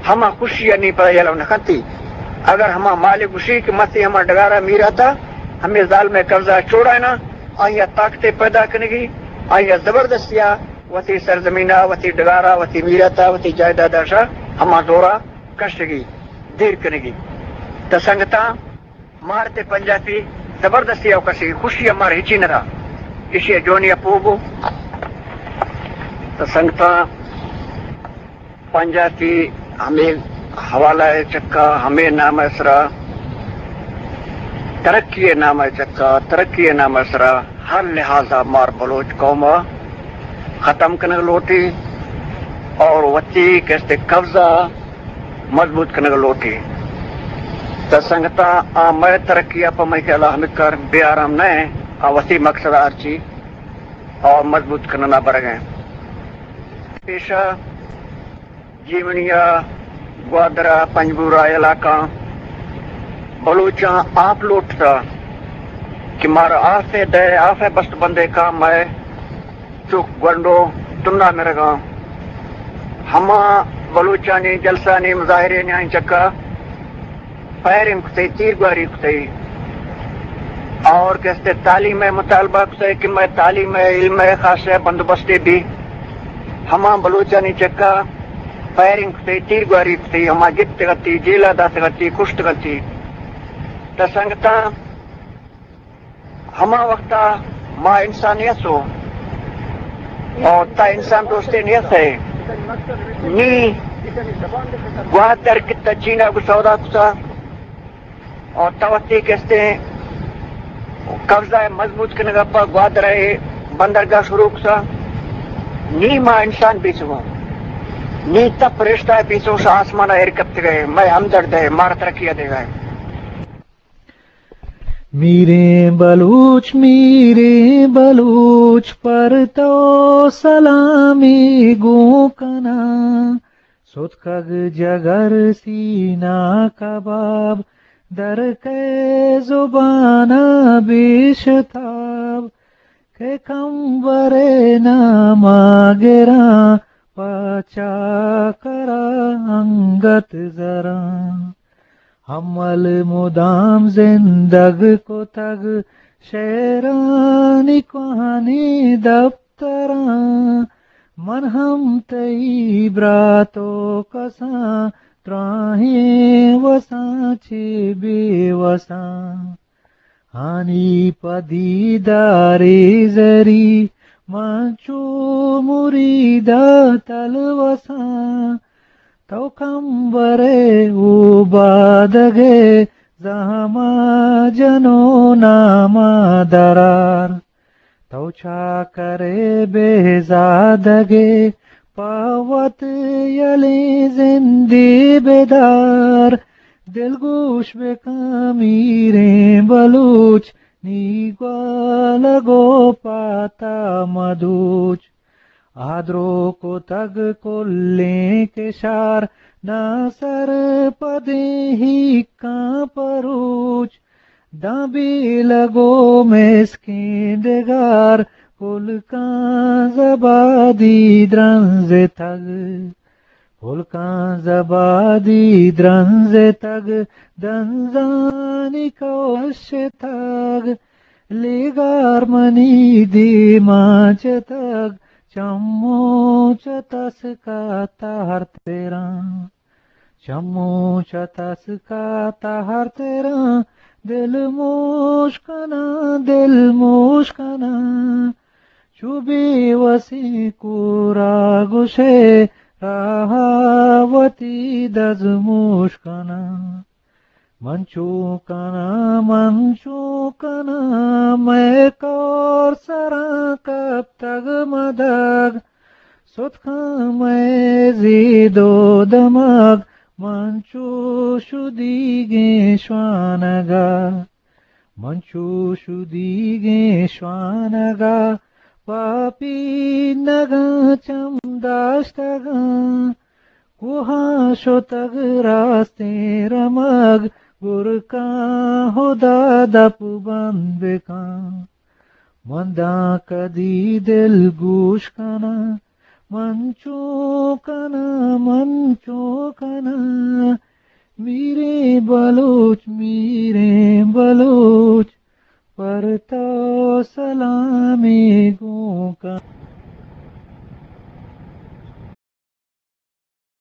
ہما خوشی نی پدا یلو نہ کنتی۔ اگر ہما مالک گوشی کہ متی ہما ڈگارا میراتا، ہمیں ظالم قبضہ چھوڑائنا، آیا طاقت پیدا کنگی، آیا زبردستیا وتی سرزمینا، وتی ڈگارا، وتی میراتا، وتی جائیدادا شا ہما دورا کشگی، دیر کنگی۔ تا سنگتاں، مار تے پنجاتی زبردستی او کسی خوشی مار ہچی نہ دا۔ ایشی جونی اپو بو۔ تا سنگتاں، پنجاتی ہمے حوالہ ءِ چکا، ہمے نام ءِ سرا، ترقی ءِ نام ءِ چکا، ترقی ءِ نام ءِ سرا ہر لحاظا مار بلوچ قوم ءَ ختم کنگ لوٹی اور وتی کستے قبضہ مضبوط کنگ لوٹی۔ تا سنگتاں، آ مئے ترقی ءَ پہ مئے خیال ءَ ہمکار بے آرام نہ ایں، آ وتی مقصد ءَ ہرچی اور مضبوط کننا برگ ءَ ایں۔ پیشہ جیونی ءَ، گوادر ءَ، پنجگور ءَ علاقہ بلوچاں آپ لوٹتا کہ مارا آف ءَ دے، آف ءَ بست بندے کا مئے چک گونڈو تنا مرگاں۔ ہما بلوچانی جلسانی مظاہرے نیاں چکا فائرنگ کتئی، تیر گواری کتئی اور کستے تعلیم ءِ مطالبہ کتئی کہ مئے تعلیم ءِ، علم ءِ خاص ءِ بندوبستے بی۔ ہما بلوچانی چکا فائرنگ کتئی، تیر گواری کتئی، ہما گپتگتی، جیلا داتگتی، کشتگتی۔ تا سنگتاں، ہما وقتا ما انسانیت ہو اور تا انسان دوستے نیت ہے۔ نی گوادر کتا چینا کو سودا کتا اور تا وقتی کستے قبضہ مضبوط کنگا پا گوادر بندرگاہ شروع کتا۔ نی ما انسان پیسو، نی تپ رشتہ پیسو شہ آسمان ایر کپتگئے، مئے ہمدرد ہے، مار ترقی دیگئے۔ میریں بلوچ، میریں بلوچ، پر تو سلامی گوں کناں۔ ستکگ جگر سینہ کباب، در کئے زبان ءَ بے شتاب۔ کہ کمبرے نام ءَ گراں، پہ چاکر ءَ انگت زراں۔ ہمل مدام زندگ کتگ شعرانی کوہنیں دپتراں۔ من ہم تئی برات ءُ کساں، دراہیں وساں چہ بے وساں۔ آنی پہ دیدارے زری، من چو مرید ءَ تلوساں۔ تو کمبرے اوبادگے، زہم ءَ جنو نام ءَ درار۔ تو چاکرے بے زادگے، پہ وت یلیں زندے بدار۔ دلگوش بکن میریں بلوچ، نی گوالگ ءُ پات ءَ مدوچ۔ آ درو کتگ کلیں کشار، ناسرپدیں ہیکاں پروچ۔ داں بیلگ ءُ مسکیں ڈگار، پلکاں زبادی درنزتگ۔ پلکاں زبادی درنزتگ، دنزانی کوشتگ۔ لیگار منی دیما چتگ، چمو چہ تسک ءَ تہر تراں۔ چمو چہ تسک ءَ تہر تراں، دل موش کناں، دل موش کناں۔ چو بے وسیں کور ءَ گوشئے، راہ ءَ وتی دزموش کناں۔ من چو کناں، من چو کناں، مئے کور سراں کپتگ مدگ۔ ستکاں مئے زید ءُ دمگ، من چو شدیگیں شوانگ ءَ۔ من چو شدیگیں شوانگ ءَ، پہ پینگاں چم داشتگاں۔ کوہاں شتگ راستیں رمگ، گرکاں ہدا دپ بند بکن۔ من داں کدی دل گوش کناں، من چو کناں، من چو کناں۔ میریں بلوچ، میریں بلوچ، پر تو سلامی